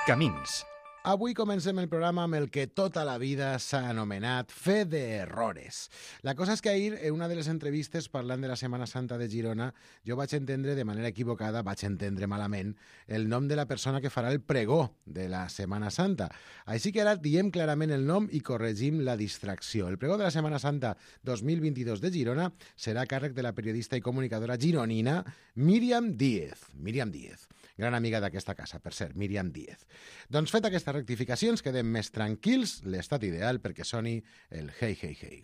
Camins. Avui comencem el programa amb el que tota la vida s'ha anomenat fe d'errores. La cosa és que ahir, en una de les entrevistes parlant de la Setmana Santa de Girona, jo vaig entendre de manera equivocada, vaig entendre malament, el nom de la persona que farà el pregó de la Setmana Santa. Així que ara diem clarament el nom i corregim la distracció. El pregó de la Setmana Santa 2022 de Girona serà a càrrec de la periodista i comunicadora gironina Míriam Díez. Míriam Díez, gran amiga d'aquesta casa, per cert, Míriam Díez. Doncs fet aquesta rectificacions, quedem més tranquils, l'estat ideal perquè soni el hey, hey, hey.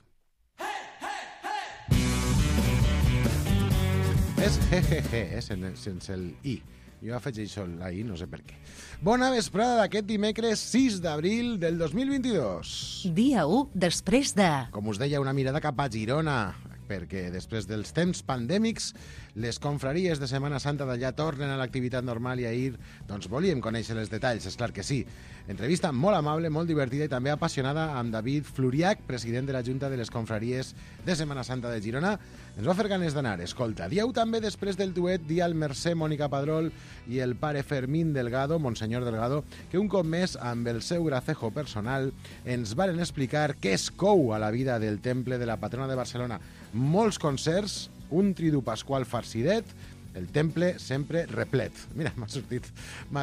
És he, sense el i. Jo afegeixo la i, no sé per què. Bona vesprada d'aquest dimecres 6 d'abril del 2022. Dia 1 després de... Com us deia, una mirada cap a Girona, perquè després dels temps pandèmics les confraries de Setmana Santa d'allà tornen a l'activitat normal i ahir doncs volíem conèixer els detalls, és clar que sí. Entrevista molt amable, molt divertida i també apassionada amb David Fluriach, president de la Junta de les Confraries de Setmana Santa de Girona. Ens va fer ganes d'anar. Escolta, dieu també després del duet Dia al Mercè, Mònica Padrol i el pare Fermín Delgado, Monsenyor Delgado, que un cop més, amb el seu gracejo personal, ens varen explicar què es cou a la vida del temple de la patrona de Barcelona. Molts concerts, un tridu pasqual farcidet, el temple sempre replet. Mira, m'ha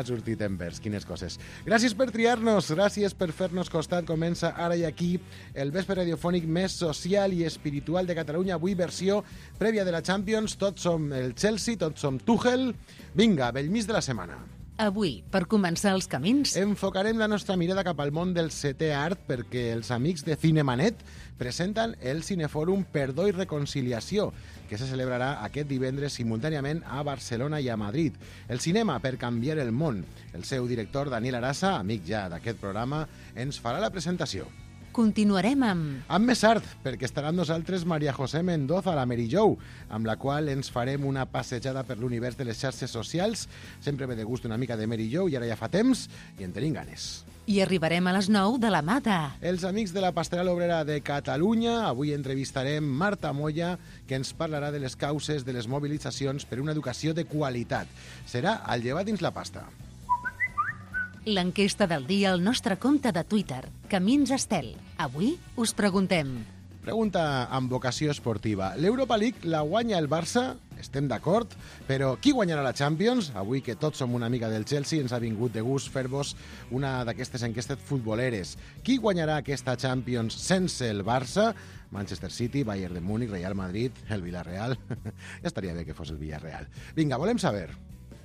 sortit en vers, quines coses. Gràcies per triar-nos, gràcies per fer-nos costat. Comença ara i aquí el vespre radiofònic més social i espiritual de Catalunya. Avui versió prèvia de la Champions. Tots som el Chelsea, tots som Tuchel. Vinga, bell mig de la setmana. Avui, per començar els camins... Enfocarem la nostra mirada cap al món del setè art perquè els amics de Cinemanet presenten el Cinefòrum Perdó i Reconciliació, que se celebrarà aquest divendres simultàniament a Barcelona i a Madrid. El cinema per canviar el món. El seu director, Daniel Arasa, amic ja d'aquest programa, ens farà la presentació. Continuarem amb... Amb més art, perquè estarà amb nosaltres Maria José Mendoza, la Mary Jo, amb la qual ens farem una passejada per l'univers de les xarxes socials. Sempre ve de gust una mica de Mary Jo i ara ja fa temps i en tenim ganes. I arribarem a les 9 de la mà de... Els amics de la Pastoral Obrera de Catalunya. Avui entrevistarem Marta Moya, que ens parlarà de les causes de les mobilitzacions per una educació de qualitat. Serà al llevat dins la pasta. L'enquesta del dia al nostre compte de Twitter, Camins Estel. Avui us preguntem... Pregunta amb vocació esportiva. L'Europa League la guanya el Barça? Estem d'acord, però qui guanyarà la Champions? Avui que tots som una mica del Chelsea, ens ha vingut de gust fer-vos una d'aquestes enquestes futboleres. Qui guanyarà aquesta Champions sense el Barça? Manchester City, Bayern de Múnich, Real Madrid, el Villarreal. Ja estaria bé que fos el Villarreal. Vinga, volem saber.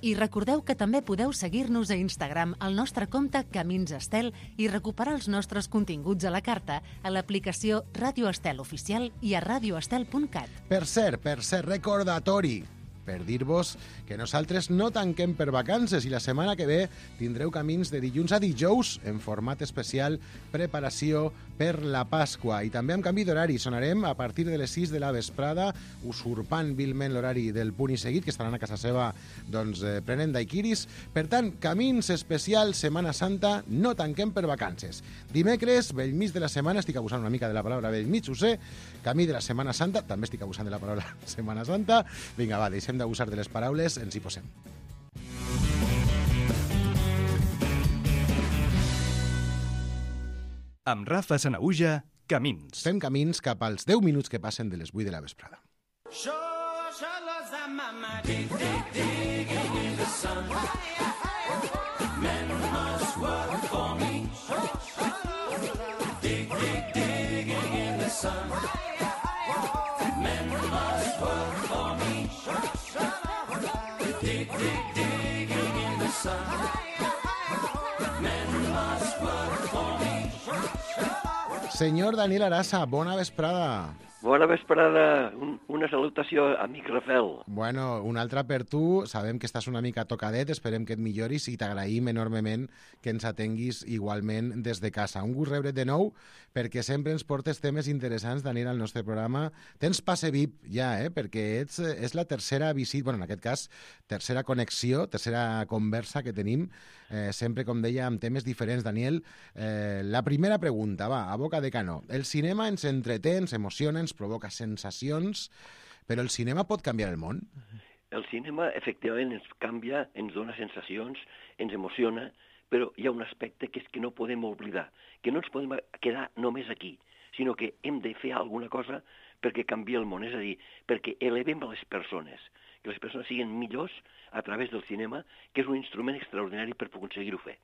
I recordeu que també podeu seguir-nos a Instagram al nostre compte Camins Estel i recuperar els nostres continguts a la carta a l'aplicació Ràdio Estel Oficial i a radioestel.cat. Per cert, recordatori per dir-vos que nosaltres no tanquem per vacances i la setmana que ve tindreu camins de dilluns a dijous en format especial preparació per la Pasqua i també amb canvi d'horari. Sonarem a partir de les 6 de la vesprada, usurpant vilment l'horari del punt i seguit, que estaran a casa seva doncs, prenent daiquiris. Per tant, camins especial Setmana Santa, no tanquem per vacances. Dimecres, bell mig de la setmana, estic abusant una mica de la paraula bell mig, ho sé, camí de la Setmana Santa, també estic abusant de la paraula Setmana Santa. Vinga, va, deixem d'abusar de les paraules, ens hi posem. Amb Rafa Sanaüja, Camins. Fem camins cap als 10 minuts que passen de les 8 de la vesprada. Senyor Daniel Arasa, bona vesprada. Bona vesprada, una salutació, amic Rafael. Bueno, una altra per tu. Sabem que estàs una mica tocadet, esperem que et milloris i t'agraïm enormement que ens atenguis igualment des de casa. Un gust rebre't de nou, perquè sempre ens portes temes interessants, Daniel, al nostre programa. Tens passe VIP ja, perquè és la tercera visita, bueno, en aquest cas, tercera connexió, tercera conversa que tenim, sempre, com deia, amb temes diferents. Daniel, la primera pregunta, va, a boca de canó. El cinema ens entreté, ens emociona, ens provoca sensacions, però el cinema pot canviar el món? El cinema, efectivament, ens canvia, ens dona sensacions, ens emociona, però hi ha un aspecte que és que no podem oblidar, que no ens podem quedar només aquí, sinó que hem de fer alguna cosa perquè canvia el món, és a dir, perquè elevem les persones, que les persones siguin millors a través del cinema, que és un instrument extraordinari per aconseguir-ho fer.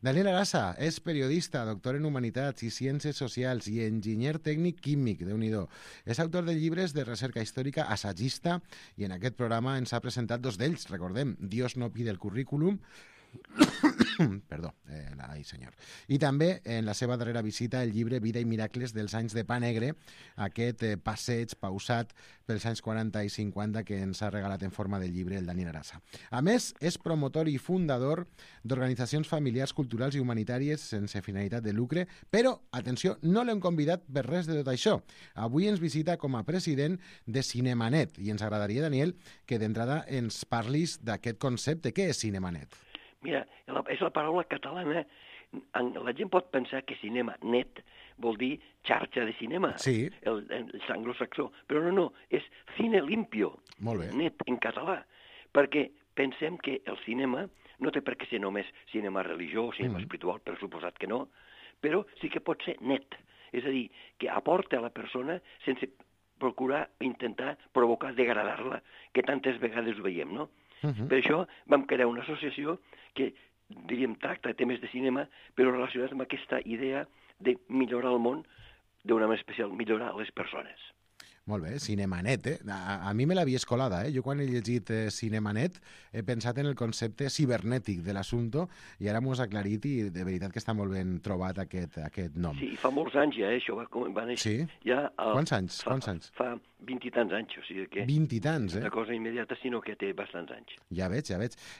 Daniel Arasa és periodista, doctor en Humanitats i Ciències Socials i enginyer tècnic químic, Déu-n'hi-do. És autor de llibres de recerca històrica, assagista, i en aquest programa ens ha presentat dos d'ells, recordem, Dios no pide el currículum, perdó, ai senyor. I també en la seva darrera visita el llibre Vida i miracles dels anys de pa negre, aquest passeig pausat pels anys 40 i 50 que ens ha regalat en forma de llibre el Daniel Arasa. A més, és promotor i fundador d'organitzacions familiars, culturals i humanitàries sense finalitat de lucre, però, atenció, no l'hem convidat per res de tot això. Avui ens visita com a president de Cinemanet i ens agradaria, Daniel, que d'entrada ens parlis d'aquest concepte. Què és Cinemanet? Mira, és la paraula catalana. La gent pot pensar que cinema net vol dir xarxa de cinema, sí. el anglosaxó, però no, és cine limpio, molt bé. Net en català, perquè pensem que el cinema no té per què ser només cinema religiós, cinema espiritual, per suposat que no, però sí que pot ser net, és a dir, que aporta a la persona sense procurar intentar provocar, degradar-la, que tantes vegades ho veiem, no? Per això vam crear una associació que, diríem, tracta temes de cinema, però relacionats amb aquesta idea de millorar el món d'una manera especial, millorar les persones. Molt bé, Cinemanet, A mi me l'havia escolada, Jo quan he llegit Cinemanet he pensat en el concepte cibernètic de l'assumpte i ara m'ho has aclarit i de veritat que està molt ben trobat aquest nom. Sí, fa molts anys ja, això va néixer. Sí? Ja, Quants anys? Fa 20 i tants anys, o sigui que... 20 i tants, Una cosa immediata, sinó que té bastants anys. Ja veig.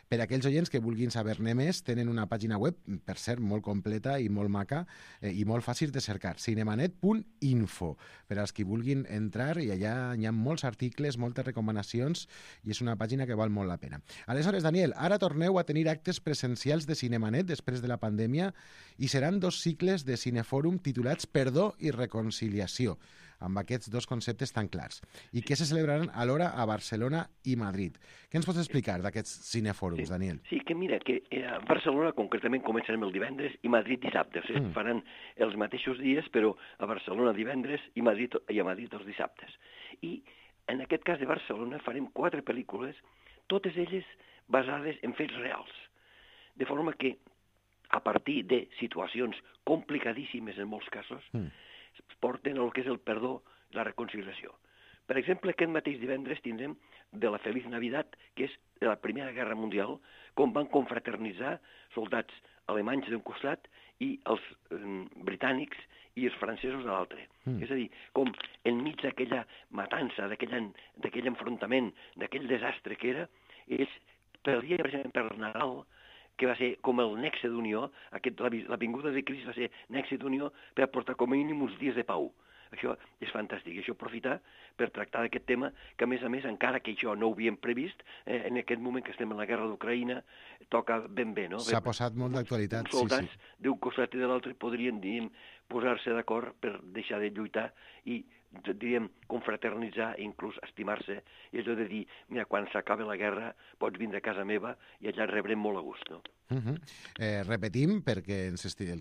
Per aquells oients que vulguin saber-ne més, tenen una pàgina web, per cert, molt completa i molt maca i molt fàcil de cercar, cinemanet.info, per als que vulguin entrar, i allà hi ha molts articles, moltes recomanacions, i és una pàgina que val molt la pena. Aleshores, Daniel, ara torneu a tenir actes presencials de Cinemanet després de la pandèmia i seran 2 cicles de Cinefòrum titulats Perdó i Reconciliació, amb aquests 2 conceptes tan clars, i que se celebraran alhora a Barcelona i Madrid. Què ens pots explicar d'aquests cinefòrums, Daniel? Sí, que mira, que a Barcelona concretament començarem el divendres i Madrid dissabte, o sigui, faran els mateixos dies, però a Barcelona divendres i a Madrid els dissabtes. I en aquest cas de Barcelona farem 4 pel·lícules, totes elles basades en fets reals, de forma que a partir de situacions complicadíssimes en molts casos, porten el que és el perdó i la reconciliació. Per exemple, aquest mateix divendres tindrem de la Feliç Navidad, que és de la Primera Guerra Mundial, com van confraternitzar soldats alemanys d'un costat i els britànics i els francesos de l'altre. És a dir, com enmig d'aquella matança, d'aquell enfrontament, d'aquell desastre que era, ells, per dia, per exemple, per Nadal, que va ser com el nexe d'unió, la vinguda de Crist va ser nexe d'unió per aportar com a mínim uns dies de pau. Això és fantàstic, això aprofitar per tractar d'aquest tema, que a més, encara que això no ho havíem previst, en aquest moment que estem en la guerra d'Ucraïna, toca ben bé, no? S'ha posat molt d'actualitat, sí. Soldats d'un costat i de l'altre podrien, posar-se d'acord per deixar de lluitar i, confraternitzar i inclús estimar-se, i allò de dir, mira, quan s'acabi la guerra pots vindre a casa meva i allà rebrem molt a gust, no? Repetim, perquè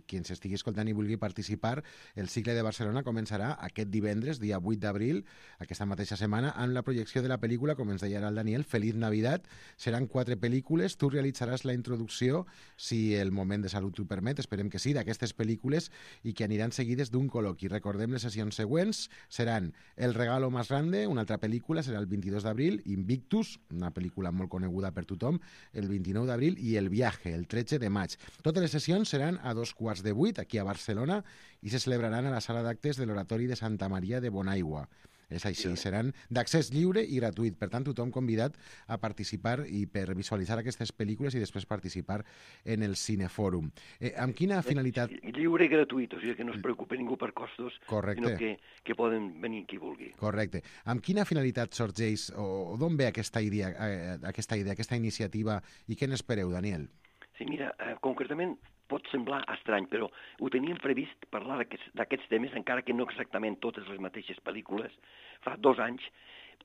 qui ens estigui escoltant i vulgui participar, el cicle de Barcelona començarà aquest divendres, dia 8 d'abril, aquesta mateixa setmana, amb la projecció de la pel·lícula, com ens deia ara el Daniel, Feliç Navidad. Seran 4 pel·lícules, tu realitzaràs la introducció, si el moment de salut t'ho permet, esperem que sí, d'aquestes pel·lícules, i que aniran seguides d'un col·loqui. Recordem les sessions següents, seran El regalo más grande, una altra pel·lícula, serà el 22 d'abril, Invictus, una pel·lícula molt coneguda per tothom, el 29 d'abril, i El viaje, el 13 de maig. Totes les sessions seran a 7:15, aquí a Barcelona, i se celebraran a la sala d'actes de l'Oratori de Santa Maria de Bonaigua. És així, seran d'accés lliure i gratuït. Per tant, tothom convidat a participar i per visualitzar aquestes pel·lícules i després participar en el Cinefòrum. Amb quina finalitat... Lliure i gratuït, o sigui que no es preocupi ningú per costos, Correcte. Sinó que poden venir qui vulgui. Correcte. Amb quina finalitat sorgeix o d'on ve aquesta idea, aquesta iniciativa, i què n'espereu, Daniel? Sí, mira, concretament pot semblar estrany, però ho teníem previst parlar d'aquests temes, encara que no exactament totes les mateixes pel·lícules, fa 2 anys,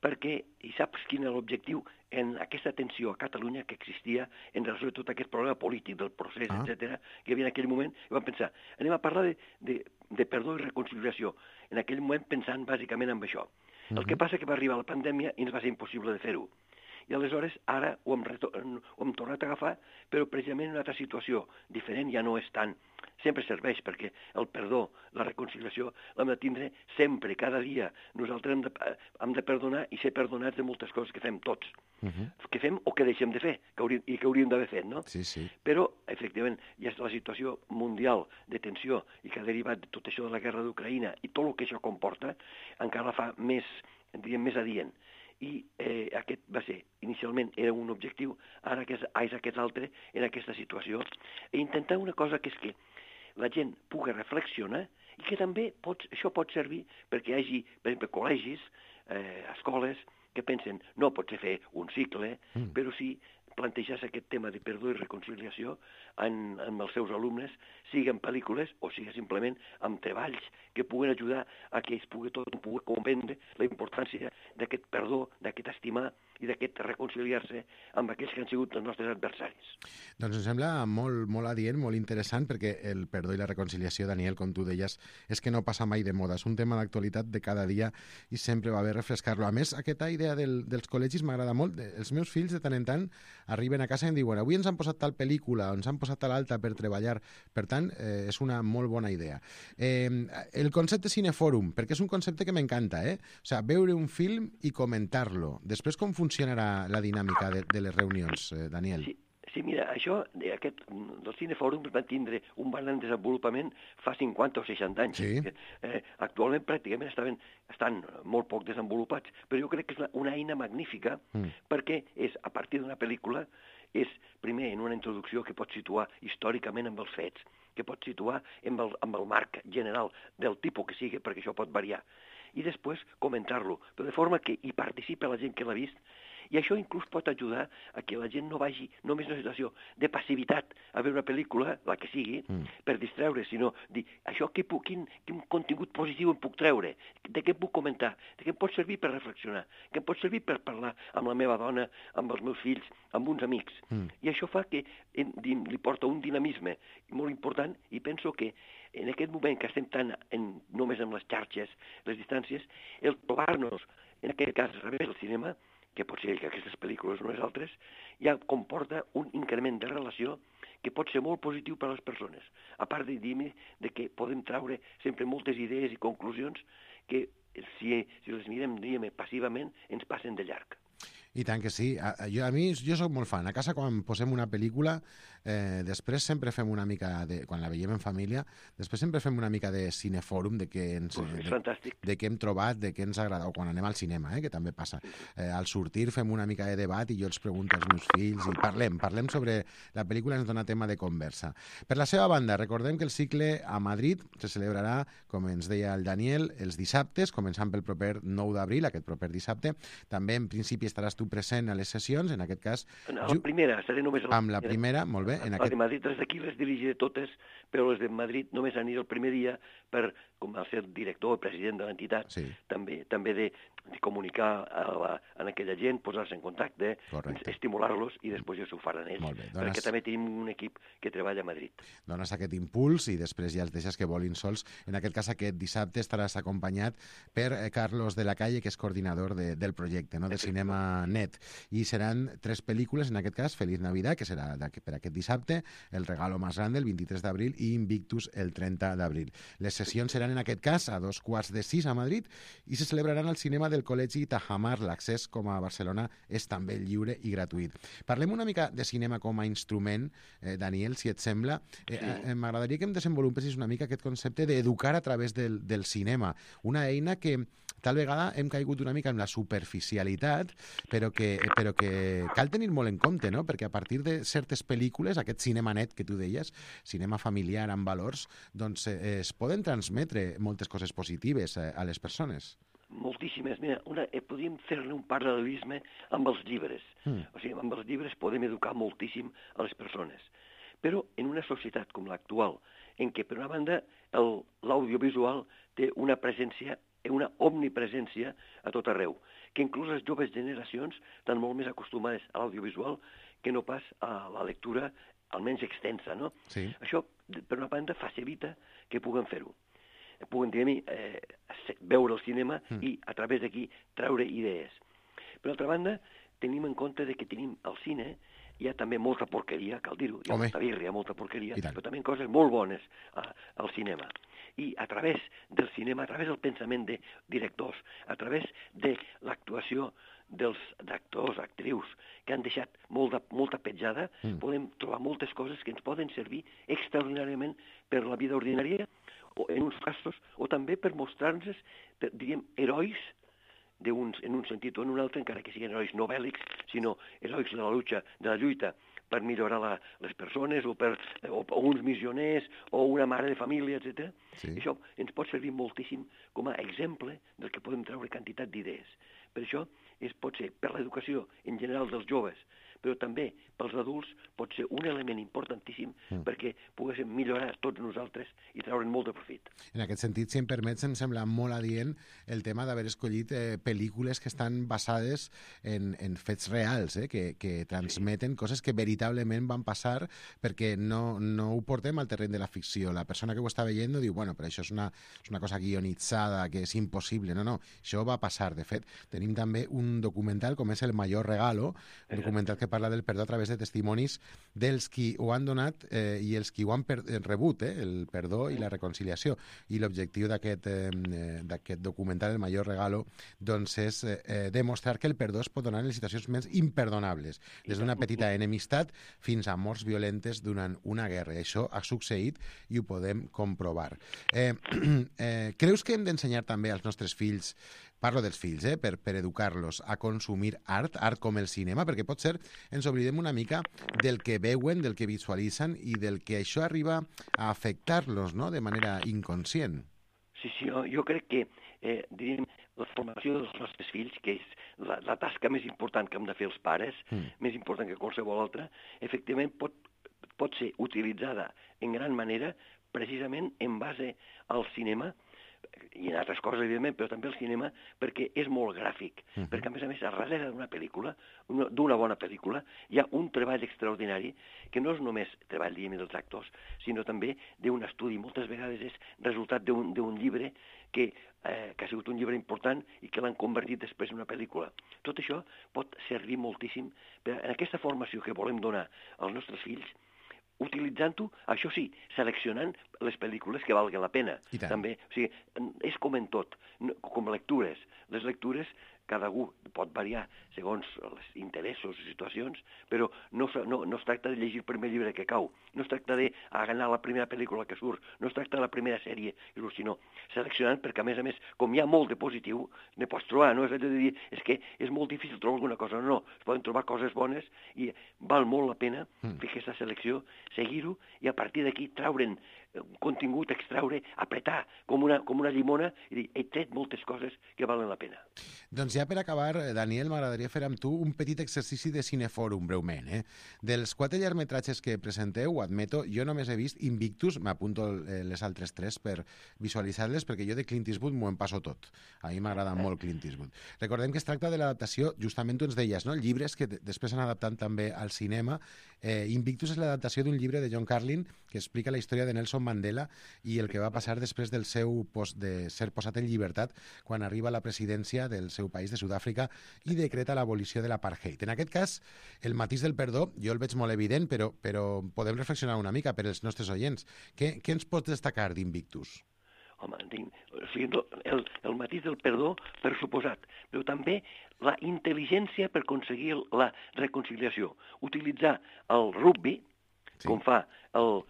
perquè, i saps quin era l'objectiu en aquesta tensió a Catalunya que existia en relació a tot aquest problema polític del procés, etc., que hi havia en aquell moment, i vam pensar, anem a parlar de perdó i reconciliació, en aquell moment pensant bàsicament en això. El que passa que va arribar la pandèmia i ens va ser impossible de fer-ho. I aleshores ara ho hem tornat a agafar, però precisament en una altra situació diferent, ja no és tant. Sempre serveix perquè el perdó, la reconciliació, l'hem de tindre sempre, cada dia. Nosaltres hem de perdonar i ser perdonats de moltes coses que fem tots. Que fem o que deixem de fer, i que hauríem d'haver fet, no? Sí, sí. Però, efectivament, ja és la situació mundial de tensió i que ha derivat de tot això de la guerra d'Ucraïna i tot el que això comporta, encara la fa més, diríem, més adient. I aquest va ser, inicialment era un objectiu, ara és aquest altre en aquesta situació, i intentar una cosa que és que la gent pugui reflexionar i que també això pot servir perquè hi hagi, per exemple, col·legis, escoles, que pensen, no pot ser fer un cicle, però sí plantejar-se aquest tema de perdó i reconciliació amb els seus alumnes, sigui en pel·lícules o sigui simplement amb treballs que puguen ajudar a que ells pugui comprendre la importància d'aquest perdó, d'aquest estimar i d'aquest reconciliar-se amb aquells que han sigut els nostres adversaris. Doncs em sembla molt, molt adient, molt interessant, perquè el perdó i la reconciliació, Daniel, com tu deies, és que no passa mai de moda. És un tema d'actualitat de cada dia i sempre va bé refrescar-lo. A més, aquesta idea dels col·legis m'agrada molt. Els meus fills, de tant en tant, arriben a casa i em diuen avui ens han posat tal pel·lícula, ens han posat tal altra per treballar. Per tant, és una molt bona idea. El concepte cinefòrum, perquè és un concepte que m'encanta, O sigui, veure un film i comentar-lo. Després, com funcionarà la dinàmica de les reunions, Daniel? Sí, mira, això, del cinefòrum va tindre un gran desenvolupament fa 50 o 60 anys. Sí. Actualment pràcticament estan molt poc desenvolupats, però jo crec que és una eina magnífica perquè és, a partir d'una pel·lícula, és primer en una introducció que pot situar històricament amb els fets, que pot situar amb el marc general del tipus que sigui, perquè això pot variar, i després comentar-lo, però de forma que hi participa la gent que l'ha vist, i això inclús pot ajudar a que la gent no vagi només en una situació de passivitat a veure una pel·lícula, la que sigui, per distreure, sinó dir, quin contingut positiu em puc treure, de què em puc comentar, de què em pot servir per reflexionar, què em pot servir per parlar amb la meva dona, amb els meus fills, amb uns amics. I això fa que li porta un dinamisme molt important, i penso que en aquest moment que estem tan només amb les xarxes, les distàncies, el trobar-nos, en aquest cas, a través del cinema, que pot ser que aquestes pel·lícules no les altres, ja comporta un increment de relació que pot ser molt positiu per a les persones. A part de dir-me que podem treure sempre moltes idees i conclusions que, si les mirem, diguem, passivament, ens passen de llarg. I tant que sí. Jo soc molt fan. A casa, quan posem una pel·lícula, després sempre fem una mica quan la veiem en família, després sempre fem una mica de cinefòrum, de què hem trobat, de què ens agrada, o quan anem al cinema, que també passa. Al sortir fem una mica de debat i jo els pregunto als meus fills i parlem sobre la pel·lícula, ens dona tema de conversa. Per la seva banda, recordem que el cicle a Madrid se celebrarà, com ens deia el Daniel, els dissabtes, començant pel proper 9 d'abril, aquest proper dissabte. També, en principi, estaràs tu present a les sessions, en aquest cas... La primera, seré només... Amb la primera, molt bé. Les de Madrid, les d'aquí les dirigiré totes, però les de Madrid només aniré el primer dia per, com a ser director o president de l'entitat, també de comunicar a aquella gent, posar-se en contacte, estimular-los, i després ja s'ho faran ells. Perquè també tenim un equip que treballa a Madrid. Dones aquest impuls i després ja els deixes que volin sols. En aquest cas, aquest dissabte estaràs acompanyat per Carlos de la Calle, que és coordinador del projecte, de Cinema Net. I seran 3 pel·lícules, en aquest cas, Feliz Navidad, que serà per aquest dissabte, El regalo más grande, el 23 d'abril, i Invictus, el 30 d'abril. Les sessions seran, en aquest cas, a 5:45 a Madrid i se celebraran al cinema del Col·legi Tajamar. L'accés, com a Barcelona, és també lliure i gratuït. Parlem una mica de cinema com a instrument, Daniel, si et sembla. M'agradaria que em desenvolupessis una mica aquest concepte d'educar a través del cinema. Una eina que tal vegada hem caigut una mica en la superficialitat, però que cal tenir molt en compte, no? Perquè a partir de certes pel·lícules, aquest cinema net que tu deies, cinema familiar amb valors, doncs es poden transmetre moltes coses positives a les persones. Moltíssimes. Mira, podríem fer-ne un paral·lelisme amb els llibres. O sigui, amb els llibres podem educar moltíssim a les persones. Però en una societat com l'actual, en què, per una banda, l'audiovisual té una presència una omnipresència a tot arreu, que inclús les joves generacions estan molt més acostumades a l'audiovisual que no pas a la lectura almenys extensa, no? Sí. Això, per una banda, facilita que puguem fer-ho. Puguen, veure el cinema i a través d'aquí treure idees. Per altra banda, tenim en compte que tenim al cine hi ha també molta porqueria, cal dir-ho, hi ha molta birria, molta porqueria, però també coses molt bones al cinema. I a través del cinema, a través del pensament de directors, a través de l'actuació d'actors, actrius, que han deixat molta petjada, podem trobar moltes coses que ens poden servir extraordinàriament per la vida ordinària, o en uns casos, o també per mostrar-nos, diríem, herois en un sentit o en un altre, encara que siguin herois no bèl·lics, sinó herois de la lluita per millorar les persones, o uns missioners, o una mare de família, etc. Sí. Això ens pot servir moltíssim com a exemple del que podem treure quantitat d'idees. Per això pot ser per l'educació en general dels joves, però també pels adults pot ser un element importantíssim perquè poguéssim millorar tots nosaltres i treure'n molt de profit. En aquest sentit, si em permets, em sembla molt adient el tema d'haver escollit pel·lícules que estan basades en fets reals, que transmeten coses que veritablement van passar, perquè no ho portem al terreny de la ficció. La persona que ho està veient diu, bueno, però això és una cosa guionitzada, que és impossible. No, això va passar. De fet, tenim també un documental com és El Mayor Regalo, un documental que parla del perdó a través de testimonis dels qui ho han donat i els qui ho han rebut, el perdó i la reconciliació. I l'objectiu d'aquest documental, El Mayor Regalo, doncs és demostrar que el perdó es pot donar en les situacions més imperdonables, des d'una petita enemistat fins a morts violentes durant una guerra. I això ha succeït i ho podem comprovar. Creus que hem d'ensenyar també als nostres fills, parlo dels fills, per educar-los a consumir art com el cinema, perquè pot ser ens oblidem una mica del que veuen, del que visualitzen i del que això arriba a afectar-los, no?, de manera inconscient. Sí, jo crec que, diríem, la formació dels nostres fills, que és la tasca més important que hem de fer els pares, més important que qualsevol altra, efectivament pot ser utilitzada en gran manera precisament en base al cinema, i en altres coses, evidentment, però també el cinema, perquè és molt gràfic, perquè, a més, a darrere d'una pel·lícula, d'una bona pel·lícula, hi ha un treball extraordinari que no és només treball, diguem, dels actors, sinó també d'un estudi. Moltes vegades és resultat d'un llibre que ha sigut un llibre important i que l'han convertit després en una pel·lícula. Tot això pot servir moltíssim en aquesta formació que volem donar als nostres fills, utilitzant-ho, això sí, seleccionant les pel·lícules que valguen la pena. També, o sigui, és com en tot, com lectures. Les lectures, cada algú pot variar segons els interessos i situacions, però no es tracta de llegir el primer llibre que cau, no es tracta d'anar a la primera pel·lícula que surt, no es tracta de la primera sèrie, sinó seleccionant, perquè a més, com hi ha molt de positiu, ne pots trobar, no és de dir, és que és molt difícil trobar alguna cosa, no, es poden trobar coses bones i val molt la pena fer aquesta selecció, seguir-ho i a partir d'aquí traure'n contingut, extraure, apretar com una llimona i dir, he tret moltes coses que valen la pena. Doncs ja per acabar, Daniel, m'agradaria fer amb tu un petit exercici de cinefòrum, breument. Dels 4 llargmetratges que presenteu, ho admeto, jo només he vist Invictus, m'apunto les altres 3 per visualitzar-les, perquè jo de Clint Eastwood m'ho en passo tot. A mi m'agrada molt Clint Eastwood. Recordem que es tracta de l'adaptació, justament tu ens deies, no? Llibres que després s'han adaptat també al cinema. Invictus és l'adaptació d'un llibre de John Carlin que explica la història de Nelson Mandela i el que va passar després de ser posat en llibertat quan arriba a la presidència del seu país, de Sud-àfrica, i decreta l'abolició de l'apartheid. En aquest cas, el matís del perdó, jo el veig molt evident, però podem reflexionar una mica per als nostres oients. Què ens pots destacar d'Invictus? Home, el matís del perdó, per suposat, però també la intel·ligència per aconseguir la reconciliació. Utilitzar el rugby, com fa el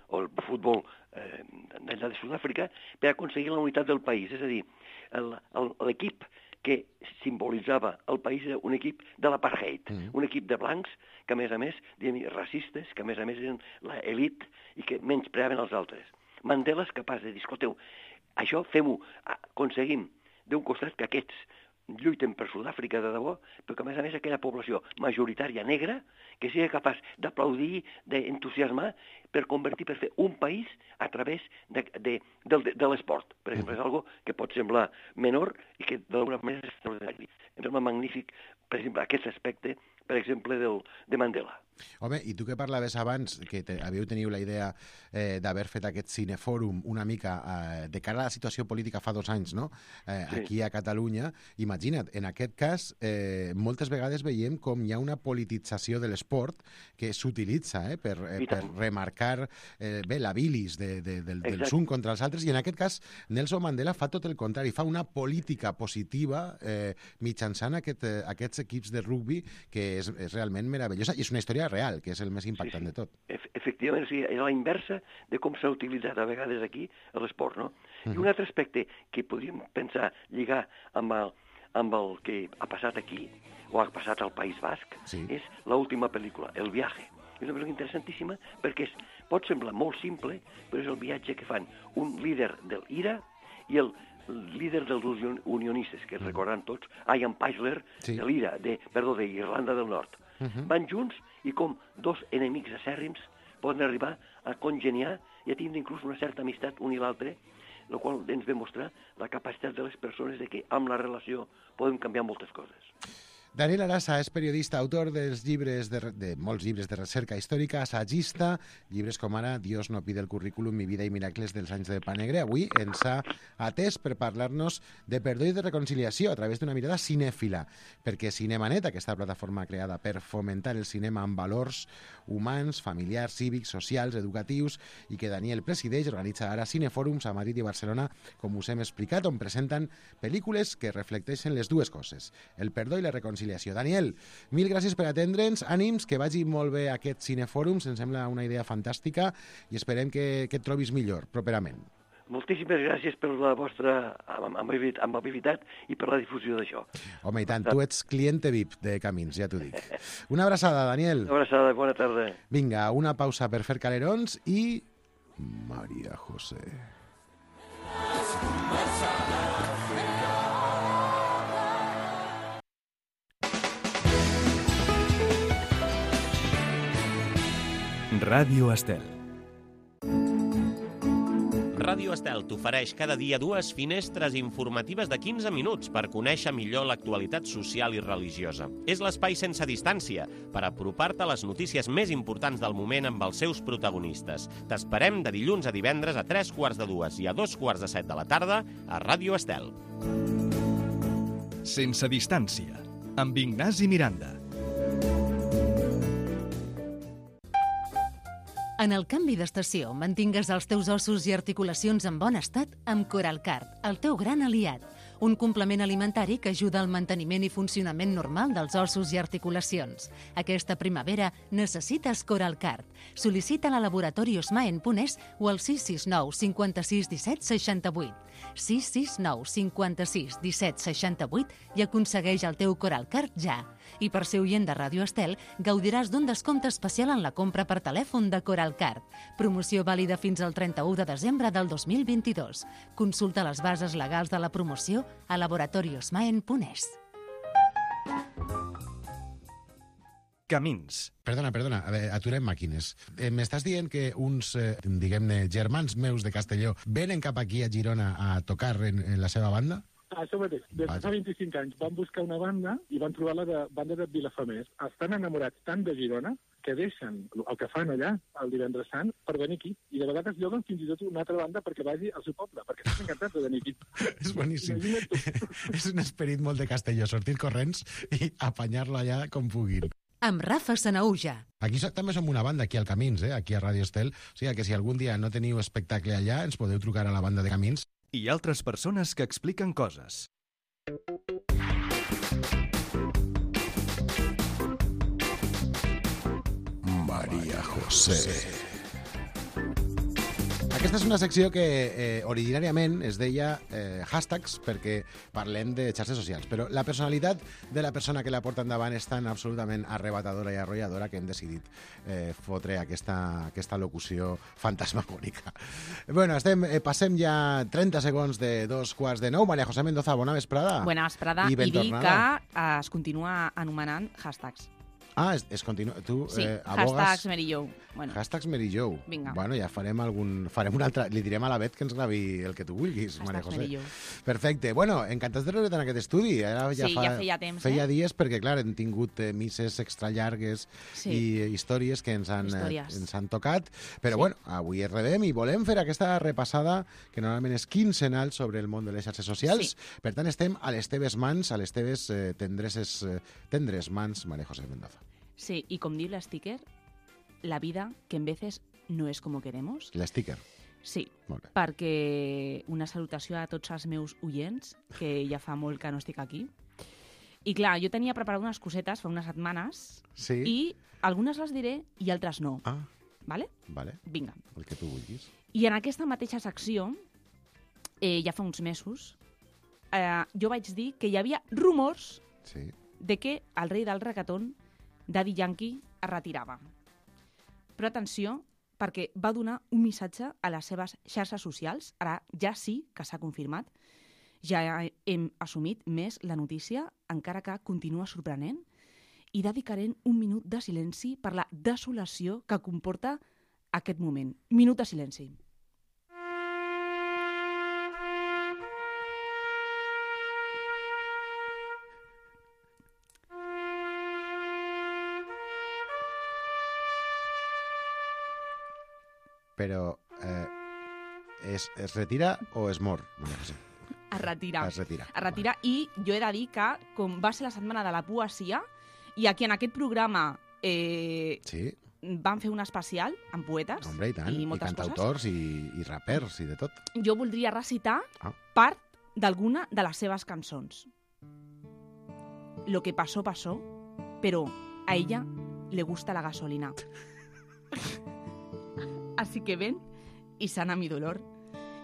futbol d'allà de Sud-àfrica, per aconseguir la unitat del país. És a dir, l'equip que simbolitzava el país era un equip de l'apartheid, un equip de blancs que, a més, racistes, que, a més, eren l'elit i que menyspreaven els altres. Mandela és capaç de dir, escolteu, això fem-ho, aconseguim d'un costat que aquests lluiten per Sud-àfrica de debò, però que a més aquella població majoritària negra que sigui capaç d'aplaudir, d'entusiasmar per fer un país a través de l'esport. Per exemple, és algo que pot semblar menor i que d'alguna manera és extraordinari. Em sembla magnífic, per exemple, aquest aspecte, per exemple, de Mandela. Home, i tu que parlaves abans, que teniu la idea d'haver fet aquest cinefòrum una mica de cara a la situació política fa 2 anys, no? Aquí a Catalunya, imagina't, en aquest cas, moltes vegades veiem com hi ha una politització de l'esport que s'utilitza per remarcar la bilis dels uns contra els altres, i en aquest cas Nelson Mandela fa tot el contrari, fa una política positiva mitjançant aquests equips de rugbi que és realment meravellosa, i és una història real, que és el més impactant de tot. Efectivament, és la inversa de com s'ha utilitzat a vegades aquí l'esport, no? I un altre aspecte que podríem pensar, lligar amb el que ha passat aquí, o ha passat al País Basc, és l'última pel·lícula, El viaje. És una pel·lícula interessantíssima perquè pot semblar molt simple, però és el viatge que fan un líder del IRA i el líder dels unionistes, que recordaran tots, Ian Peisler, de l'IRA, d'Irlanda del Nord. Van junts i com 2 enemics acèrrims poden arribar a congeniar i a tindre inclús una certa amistat un i l'altre, el qual ens ve mostrar la capacitat de les persones de que amb la relació podem canviar moltes coses. Daniel Arasa és periodista, autor dels llibres de molts llibres de recerca històrica, assagista, llibres com ara Dios no pide el currículum, mi vida i miracles dels anys de Pa Negre. Avui ens ha atès per parlar-nos de perdó i de reconciliació a través d'una mirada cinèfila, perquè Cinemanet, aquesta plataforma creada per fomentar el cinema amb valors humans, familiars, cívics, socials, educatius, i que Daniel presideix, organitza ara cinefòrums a Madrid i Barcelona, com us hem explicat, on presenten pel·lícules que reflecteixen les dues coses, el perdó i la reconciliació. Daniel, mil gràcies per atendre'ns, ànims, que vagi molt bé aquest cinefòrum, ens sembla una idea fantàstica i esperem que et trobis millor properament. Moltíssimes gràcies per la vostra amabilitat i per la difusió d'això. Home, i tant, tu ets cliente VIP de Camins, ja t'ho dic. Una abraçada, Daniel. Una abraçada, bona tarda. Vinga, una pausa per fer calerons i... María José. Ràdio Estel. Ràdio Estel t'ofereix cada dia 2 finestres informatives de 15 minuts per conèixer millor l'actualitat social i religiosa. És l'espai sense distància per apropar-te a les notícies més importants del moment amb els seus protagonistes. T'esperem de dilluns a divendres a 3:45 i a 2:45 de la tarda a Ràdio Estel. Sense distància, amb Ignasi Miranda. En el canvi d'estació, mantingues els teus ossos i articulacions en bon estat amb Coralcard, el teu gran aliat. Un complement alimentari que ajuda al manteniment i funcionament normal dels ossos i articulacions. Aquesta primavera necessites Coralcard. Sol·licita-la a Laboratori Osmaen.es o al 669 56 17 68. 669 56 17 68 i aconsegueix el teu Coralcard ja. I per ser oient de Ràdio Estel, gaudiràs d'un descompte especial en la compra per telèfon de Coralcard. Promoció vàlida fins al 31 de desembre del 2022. Consulta les bases legals de la promoció a laboratoriosmaen.es. Camins. Perdona, a veure, aturem màquines. M'estàs dient que uns, diguem-ne, germans meus de Castelló venen cap aquí a Girona a tocar en la seva banda? Això mateix. Des de fa 25 anys van buscar una banda i van trobar la banda de Vilafamés. Estan enamorats tant de Girona que deixen el que fan allà el divendres sant per venir aquí. I de vegades lloguen fins i tot una altra banda perquè vagi al seu poble, perquè estan encantats de venir aquí. És boníssim. És un esperit molt de Castelló, sortir corrents i apanyar-lo allà com puguin. Amb Rafa Sanaúja. Aquí també som una banda, aquí al Camins, aquí a Ràdio Estel. O sigui que si algun dia no teniu espectacle allà, ens podeu trucar a la banda de Camins. I altres persones que expliquen coses. María José. Aquesta és una secció que originàriament es deia hashtags perquè parlem de xarxes socials, però la personalitat de la persona que la porta endavant és tan absolutament arrebatadora i arrolladora que hem decidit fotre aquesta locució fantasmagòrica. Bueno, passem ja 30 segons de 2:15. Maria José Mendoza, bona vesprada. Bona vesprada, i dir que es continua anomenant hashtags. Ah, es continua. Tu sí, abogues... hashtags Mary Jo. Bueno. Hashtags Mary Jo. Vinga. Bueno, ja farem un altre... Li direm a la Bet que ens gravi el que tu vulguis, Maria José. Mary Jo. Perfecte. Bueno, encantats de rebre't en aquest estudi. Ara ja feia temps. Feia dies perquè, clar, hem tingut misses extra llargues i històries que ens han tocat. Però, bueno, avui es rebem i volem fer aquesta repassada que normalment és quinzenal sobre el món de les xarxes socials. Sí. Per tant, estem a les teves mans, a les teves tendres mans, Maria José Mendoza. Sí, y com diu l'sticker, la vida que en veces no és com queremos. L'sticker? Sí, perquè una salutació a tots els meus oients, que ja fa molt que no estic aquí. I clar, jo tenia preparat unes cosetes fa unes setmanes i algunes les diré i altres no. Ah. Vale? Vale. Vinga. El que tu vulguis. I en aquesta mateixa secció, ja fa uns mesos, jo vaig dir que hi havia rumors de que el rei del reggaeton, Daddy Yankee, es retirava. Però atenció, perquè va donar un missatge a les seves xarxes socials. Ara ja sí que s'ha confirmat. Ja hem assumit més la notícia, encara que continua sorprenent, i dedicarem un minut de silenci per la desolació que comporta aquest moment. Minut de silenci. Però es retira o es mor? No sé. Es retira. Es retira. Es retira i jo he de dir que, com va ser la setmana de la poesia, i aquí en aquest programa van fer un especial amb poetes. Hombre, i tant. I cantautors i rapers i de tot. Jo voldria recitar part d'alguna de les seves cançons. Lo que pasó, pasó, pero a ella le gusta la gasolina. Así que ven y sana mi dolor.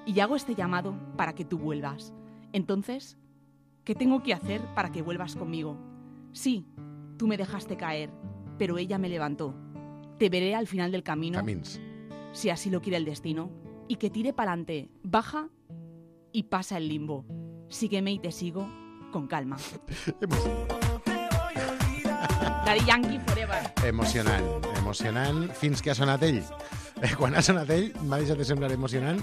Y hago este llamado para que tú vuelvas. Entonces, ¿qué tengo que hacer para que vuelvas conmigo? Sí, tú me dejaste caer, pero ella me levantó. Te veré al final del camino. Camins. Si así lo quiere el destino. Y que tire pa'lante, baja y pasa el limbo. Sígueme y te sigo con calma. Daddy Yankee forever. Emocionant fins que ha sonat ell. Quan ha sonat ell m'ha deixat de semblar emocionant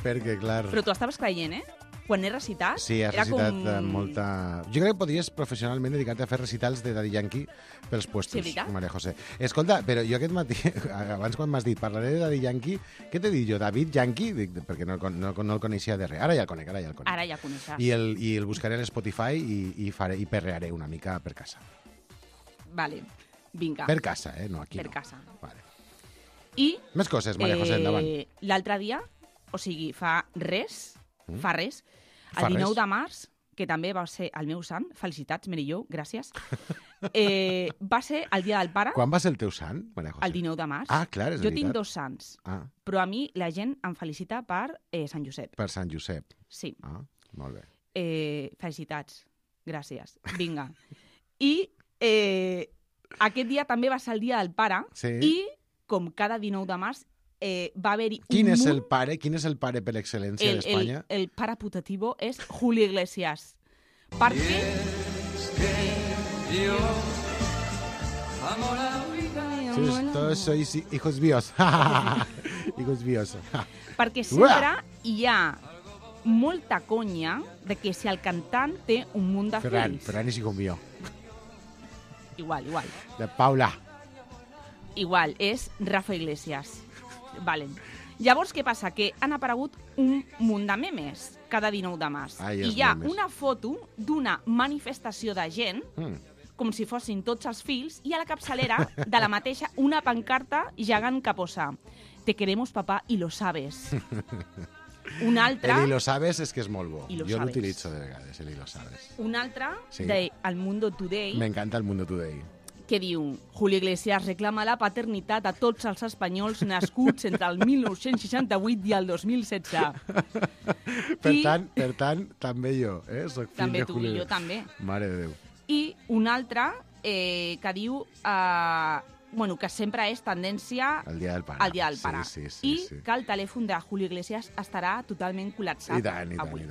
perquè, clar... Però tu estaves creient, Quan he recitat... Sí, has recitat molta... Jo crec que podries professionalment dedicar-te a fer recitals de Daddy Yankee pels puestos, Maria José. Escolta, però jo aquest matí, abans quan m'has dit parlaré de Daddy Yankee, què t'he dit jo? David Yankee? Perquè no el coneixia de res. Ara ja el conec. Ara ja el coneixes. I el buscaré a l'Spotify i perrearé una mica per casa. Vale, vinga. Per casa, no aquí. Per casa. Vale. I... Més coses, Maria José, endavant. L'altre dia, o sigui, fa res, el 19 de març, que també va ser el meu sant, felicitats, Mary Jo, gràcies, va ser el dia del pare. Quan va ser el teu sant, Maria José? El 19 de març. Ah, clar, és veritat. Jo tinc 2 sants, però a mi la gent em felicita per Sant Josep. Per Sant Josep. Sí. Ah, molt bé. Felicitats, gràcies. Vinga. I aquest dia també va ser el dia del pare i com cada 19 de març, va haver-hi un Quin és el pare per excel·lència d'Espanya? El pare putativo és Julio Iglesias. Perquè... Todos sois hijos míos. Hijos míos. Perquè sempre hi ha molta conya de que si el cantant té un munt de fills... Ferran és hijo mío. Igual. De Paula. Igual, és Rafa Iglesias. Vale. Llavors, què passa? Que han aparegut un munt de memes cada 19 de març. I hi ha una foto d'una manifestació de gent, com si fossin tots els fills, i a la capçalera de la mateixa una pancarta gegant que posa «Te queremos, papá, y lo sabes». Un altre... El «y lo sabes» és que és molt bo. Jo l'utilitzo de vegades, el «y lo sabes». Un altre de El Mundo Today. M'encanta El Mundo Today. que diu Julio Iglesias reclama la paternitat a tots els espanyols nascuts entre el 1968 i el 2016. Per tant, també jo, soc fill també de tu Julio. i jo també. Mare de Déu. I un altre que diu que sempre és tendència El dia del pare. al dia del pare. Sí. I que el telèfon de Julio Iglesias estarà totalment col·lapsat I tant. avui.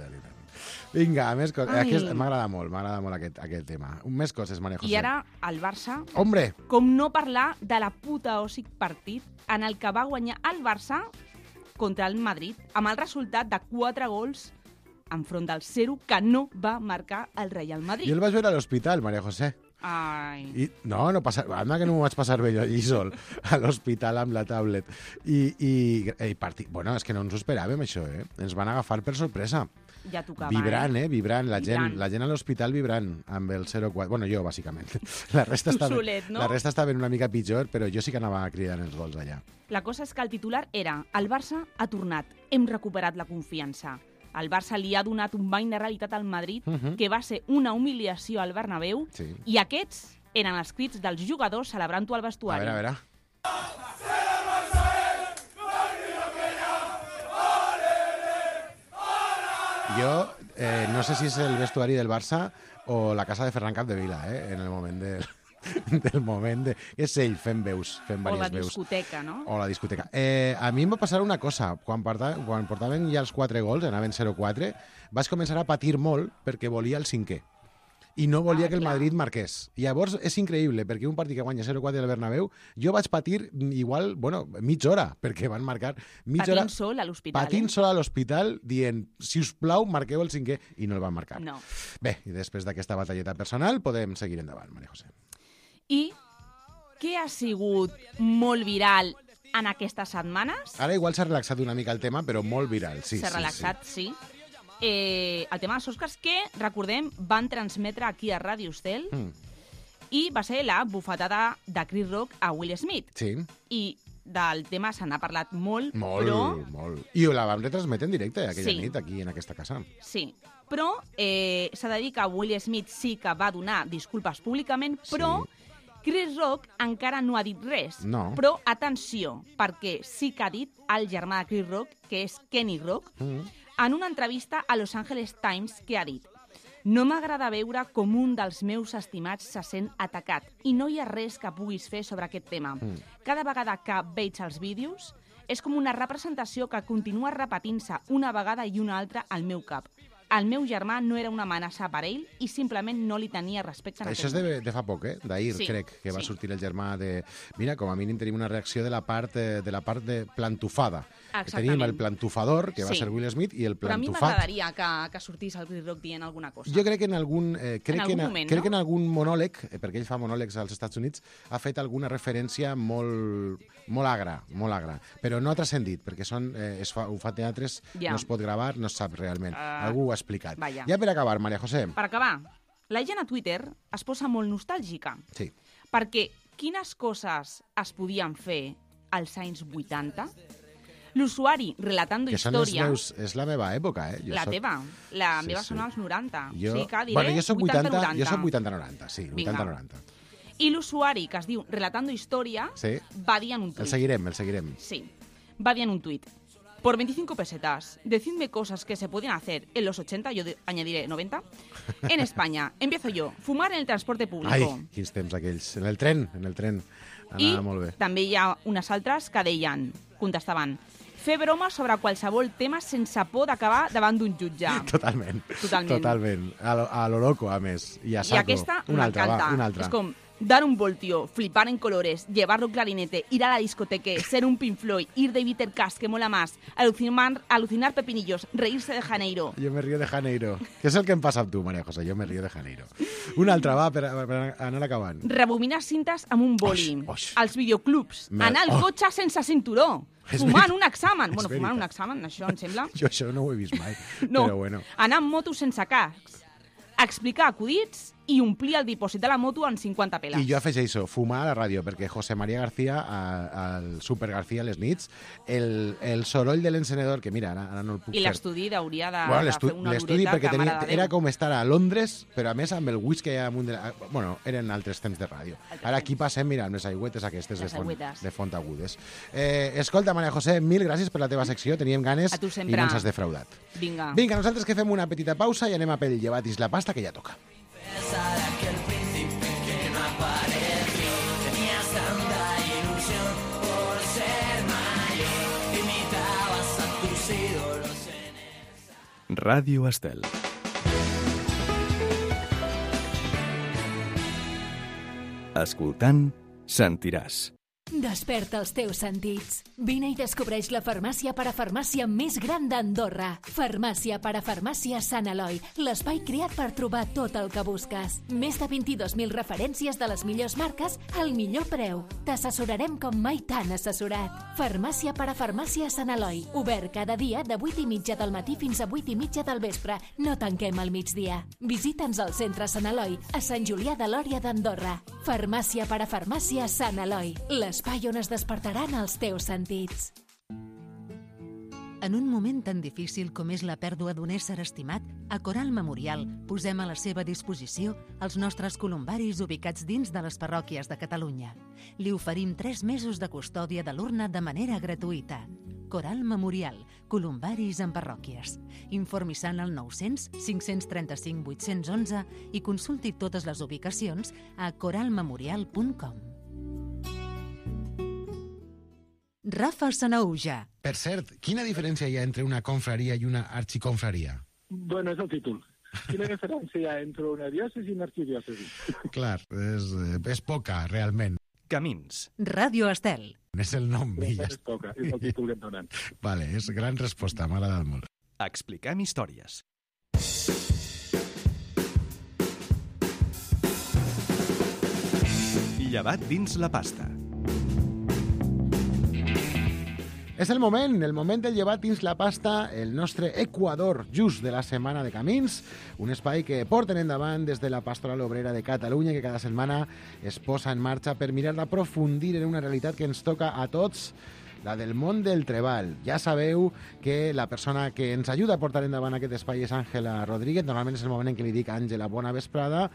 Vinga, més coses. M'agrada molt aquest tema. Més coses, Maria José. I ara el Barça, Hombre! com no parlar de la puta òssic partit en el que va guanyar el Barça contra el Madrid amb el resultat de 4 gols enfront del 0 que no va marcar el Real Madrid. Jo el vaig veure a l'hospital, Maria José. Ai. I, no passa... Anda que no m'ho vaig passar bé jo allí sol, a l'hospital amb la tablet. I bueno, és que no ens ho esperàvem, això, Ens van agafar per sorpresa. Ja tocava, Vibrant, vibrant. La Vibrant. gent a l'hospital vibrant amb el 0-4. Bueno, jo, bàsicament. La resta solet, no? La resta estava una mica pitjor, però jo sí que anava cridant els gols allà. La cosa és que el titular era el Barça ha tornat, hem recuperat la confiança. El Barça li ha donat un bany de realitat al Madrid, que va ser una humiliació al Bernabéu, i aquests eren els crits dels jugadors celebrant-ho al vestuari. A veure. Jo no sé si és el vestuari del Barça o la casa de Ferran Capdevila, en el moment del moment de... És ell fent veus, fent diverses veus. O la discoteca, no? O la discoteca. A mi em va passar una cosa. Quan portaven ja els 4 gols, anaven 0-4, vaig començar a patir molt perquè volia el 5è. I no volia que el Madrid marqués. I llavors és increïble, perquè un partit que guanya 0-4 al Bernabéu, jo vaig patir igual, mitja hora, perquè van marcar mitja hora... Patint sol a l'hospital. Patint sol a l'hospital, dient, si us plau, marqueu el 5è, i no el van marcar. No. Bé, i després d'aquesta batalleta personal, podem seguir endavant, Maria José. I què ha sigut molt viral en aquestes setmanes? Ara igual s'ha relaxat una mica el tema, però molt viral, sí. S'ha relaxat, sí. El tema dels Oscars, que, recordem, van transmetre aquí a Ràdio Estel, i va ser la bufetada de Chris Rock a Will Smith. Sí. I del tema se n'ha parlat molt, molt, però... Molt. I la vam retransmetre en directe aquella nit, aquí en aquesta casa. Sí, però s'ha de dir que Will Smith sí que va donar disculpes públicament, però Chris Rock encara no ha dit res. No. Però, atenció, perquè sí que ha dit el germà de Chris Rock, que és Kenny Rock, en una entrevista a Los Angeles Times, que ha dit: no m'agrada veure com un dels meus estimats se sent atacat i no hi ha res que puguis fer sobre aquest tema. Cada vegada que veig els vídeos és com una representació que continua repetint-se una vegada i una altra al meu cap. El meu germà no era una amenaça per ell i simplement no li tenia respecte en Això és de fa poc, d'ahir, crec, que va sortir el germà de... Mira, com a mínim tenim una reacció de la part de plantufada. Tenim el plantufador, que va ser Will Smith, i el plantufat... Però a mi m'agradaria que sortís el Chris Rock dient alguna cosa. Jo crec que en algun... moment, crec que en algun monòleg, perquè ell fa monòlegs als Estats Units, ha fet alguna referència molt agra, però no ha transcendit, perquè ho fa teatres, no es pot gravar, no es sap realment. Algú ho ha explicat. Vaja. Ja per acabar, Maria José. Per acabar, la gent a Twitter es posa molt nostàlgica. Sí. Perquè quines coses es podien fer als anys 80? L'usuari relatando història... És la meva època, La teva. La meva són els 90. Jo, sí que diré jo soc 80-90. Jo soc 80-90, sí, 80-90. I l'usuari, que es diu Relatando Història, va dir en un tuit. El seguirem. Sí. Va dir en un tuit: por 25 pesetas, decidme cosas que se podían hacer en los 80, yo añadiré 90, en España. Empiezo yo. Fumar en el transporte público. Ai, quins temps aquells. En el tren. Anava molt bé. I també hi ha unes altres que deien, contestaven: fer broma sobre qualsevol tema sense por d'acabar davant d'un jutge. Totalment. A lo loco, a més. I a saco. I aquesta m'encanta. És com dar un voltio, flipar en colores, llevarlo clarinete, ir a la discoteca, ser un Pink Floyd, ir de Bitter Cash, que mola más, alucinar pepinillos, reírse de Janeiro. Jo me río de Janeiro. Què és el que em passa amb tu, Maria José? Jo me río de Janeiro. Una altra, va, per anar acabant. Rebobinar cintes amb un boli. Els videoclubs. Anar al cotxe sense cinturó. Fumant un examen. Bueno, fumant un examen, això em sembla. Jo això no ho he vist mai, no. Però bueno. Anar amb moto sense cascs. Explicar acudits i omplir el dipòsit de la moto en 50 peles. I jo afegeixo, fumar a la ràdio, perquè José María García, al Super García a les nits, el soroll de l'encenedor, que mira, ara no el puc fer. I l'estudi hauria de fer una l'estudi, dureta perquè que, mare de Déu. era com estar a Londres, però a més amb el whisky amunt de... Bueno, eren altres temps de ràdio. Ara aquí passem, mira, amb les aigüetes aquestes de font agudes. Escolta, Maria José, mil gràcies per la teva secció, teníem ganes i no ens has defraudat. Vinga, nosaltres que fem una petita pausa i anem a pel llevat i la pasta, que ja toca. Ràdio Estel. Escoltant, sentiràs. Desperta els teus sentits. Vine i descobreix la farmàcia parafarmàcia més gran d'Andorra. Farmàcia parafarmàcia Sant Eloi, l'espai creat per trobar tot el que busques. Més de 22.000 referències de les millors marques al millor preu. T'assessorarem com mai t'han assessorat. Farmàcia parafarmàcia Sant Eloi, obert cada dia de 8:30 del matí fins a 8:30 del vespre. No tanquem al migdia. Visita'ns al centre Sant Eloi, a Sant Julià de Lòria d'Andorra. Farmàcia parafarmàcia Sant Eloi, l'espai on es despertaran els teus sentits. En un moment tan difícil com és la pèrdua d'un ésser estimat, a Coral Memorial posem a la seva disposició els nostres columbaris ubicats dins de les parròquies de Catalunya. Li oferim 3 mesos de custòdia de l'urna de manera gratuïta. Coral Memorial, columbaris en parròquies. Informi-se'n al 900 535 811 i consulti totes les ubicacions a coralmemorial.com. Rafa Sanauja. Per cert, quina diferència hi ha entre una confraria i una arxiconfraria? Bueno, és el títol. Quina diferència hi ha entre una diòcesi i una arxidiòcesi? Clar, és poca, realment. Camins. Ràdio Estel. És el nom. És poca, és el títol que et donen. Vale, és gran resposta, m'ha agradat molt. Expliquem històries. Llevat dins la pasta. És el moment del llevat dins la pasta, el nostre Equador just de la setmana de Camins, un espai que porten endavant des de la Pastoral Obrera de Catalunya, que cada setmana es posa en marxa per mirar d'aprofundir en una realitat que ens toca a tots, la del món del treball. Ja sabeu que la persona que ens ajuda a portar endavant aquest espai és Àngela Rodríguez. Normalment és el moment en què li dic Àngela, bona vesprada,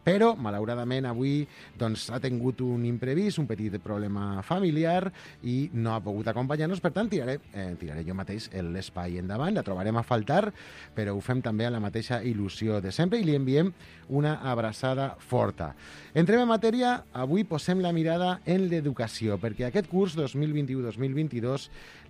però malauradament avui doncs, ha tingut un imprevist, un petit problema familiar i no ha pogut acompanyar-nos. Per tant, tiraré jo mateix l'espai endavant. La trobarem a faltar, però ho fem també amb la mateixa il·lusió de sempre i li enviem una abraçada forta. Entrem en matèria. Avui posem la mirada en l'educació, perquè aquest curs 2021-2022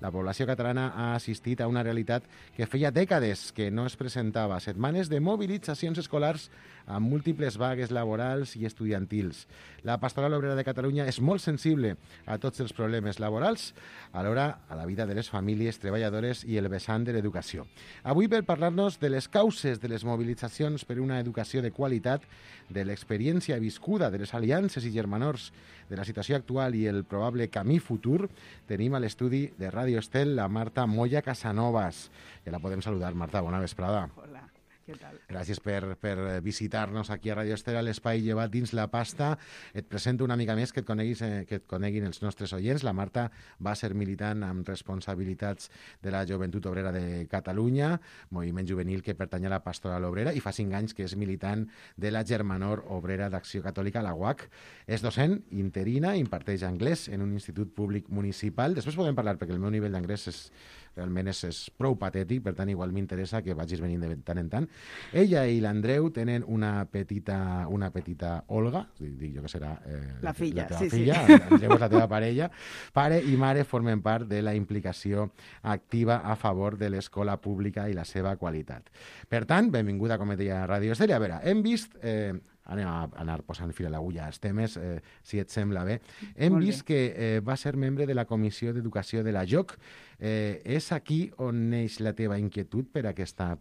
la població catalana ha assistit a una realitat que feia dècades que no es presentava. Setmanes de mobilitzacions escolars amb múltiples vagues laborals i estudiantils. La Pastoral Obrera de Catalunya és molt sensible a tots els problemes laborals, alhora a la vida de les famílies treballadores i el vessant de l'educació. Avui, per parlar-nos de les causes de les mobilitzacions per una educació de qualitat, de l'experiència viscuda, de les aliances i germanors, de la situació actual i el probable camí futur, tenim a l'estudi de Ràdio Estel la Marta Moya Casanovas. Ja la podem saludar, Marta, bona vesprada. Hola. Què tal? Gràcies per visitar-nos aquí a Ràdio Estel, a l'espai llevat dins la pasta. Et presento una mica més que et coneguin els nostres oients. La Marta va ser militant amb responsabilitats de la Joventut Obrera de Catalunya, moviment juvenil que pertany a la Pastoral Obrera, i fa 5 anys que és militant de la Germanor Obrera d'Acció Catòlica, la UAC. És docent interina, imparteix anglès en un institut públic municipal. Després podem parlar, perquè el meu nivell d'anglès realment és prou patètic, per tant igual m'interessa que vagis venint de tant en tant. Ella i l'Andreu tenen una petita Olga, dic jo que serà la filla, la teva filla. Andreu és la teva parella. Pare i mare formen part de la implicació activa a favor de l'escola pública i la seva qualitat. Per tant, benvinguda, com et deia, a Ràdio Estel. A veure, hem vist... anem a anar posant fil a l'agulla als temes, si et sembla bé. Hem vist que va ser membre de la Comissió d'Educació de la JOC. És aquí on neix la teva inquietud per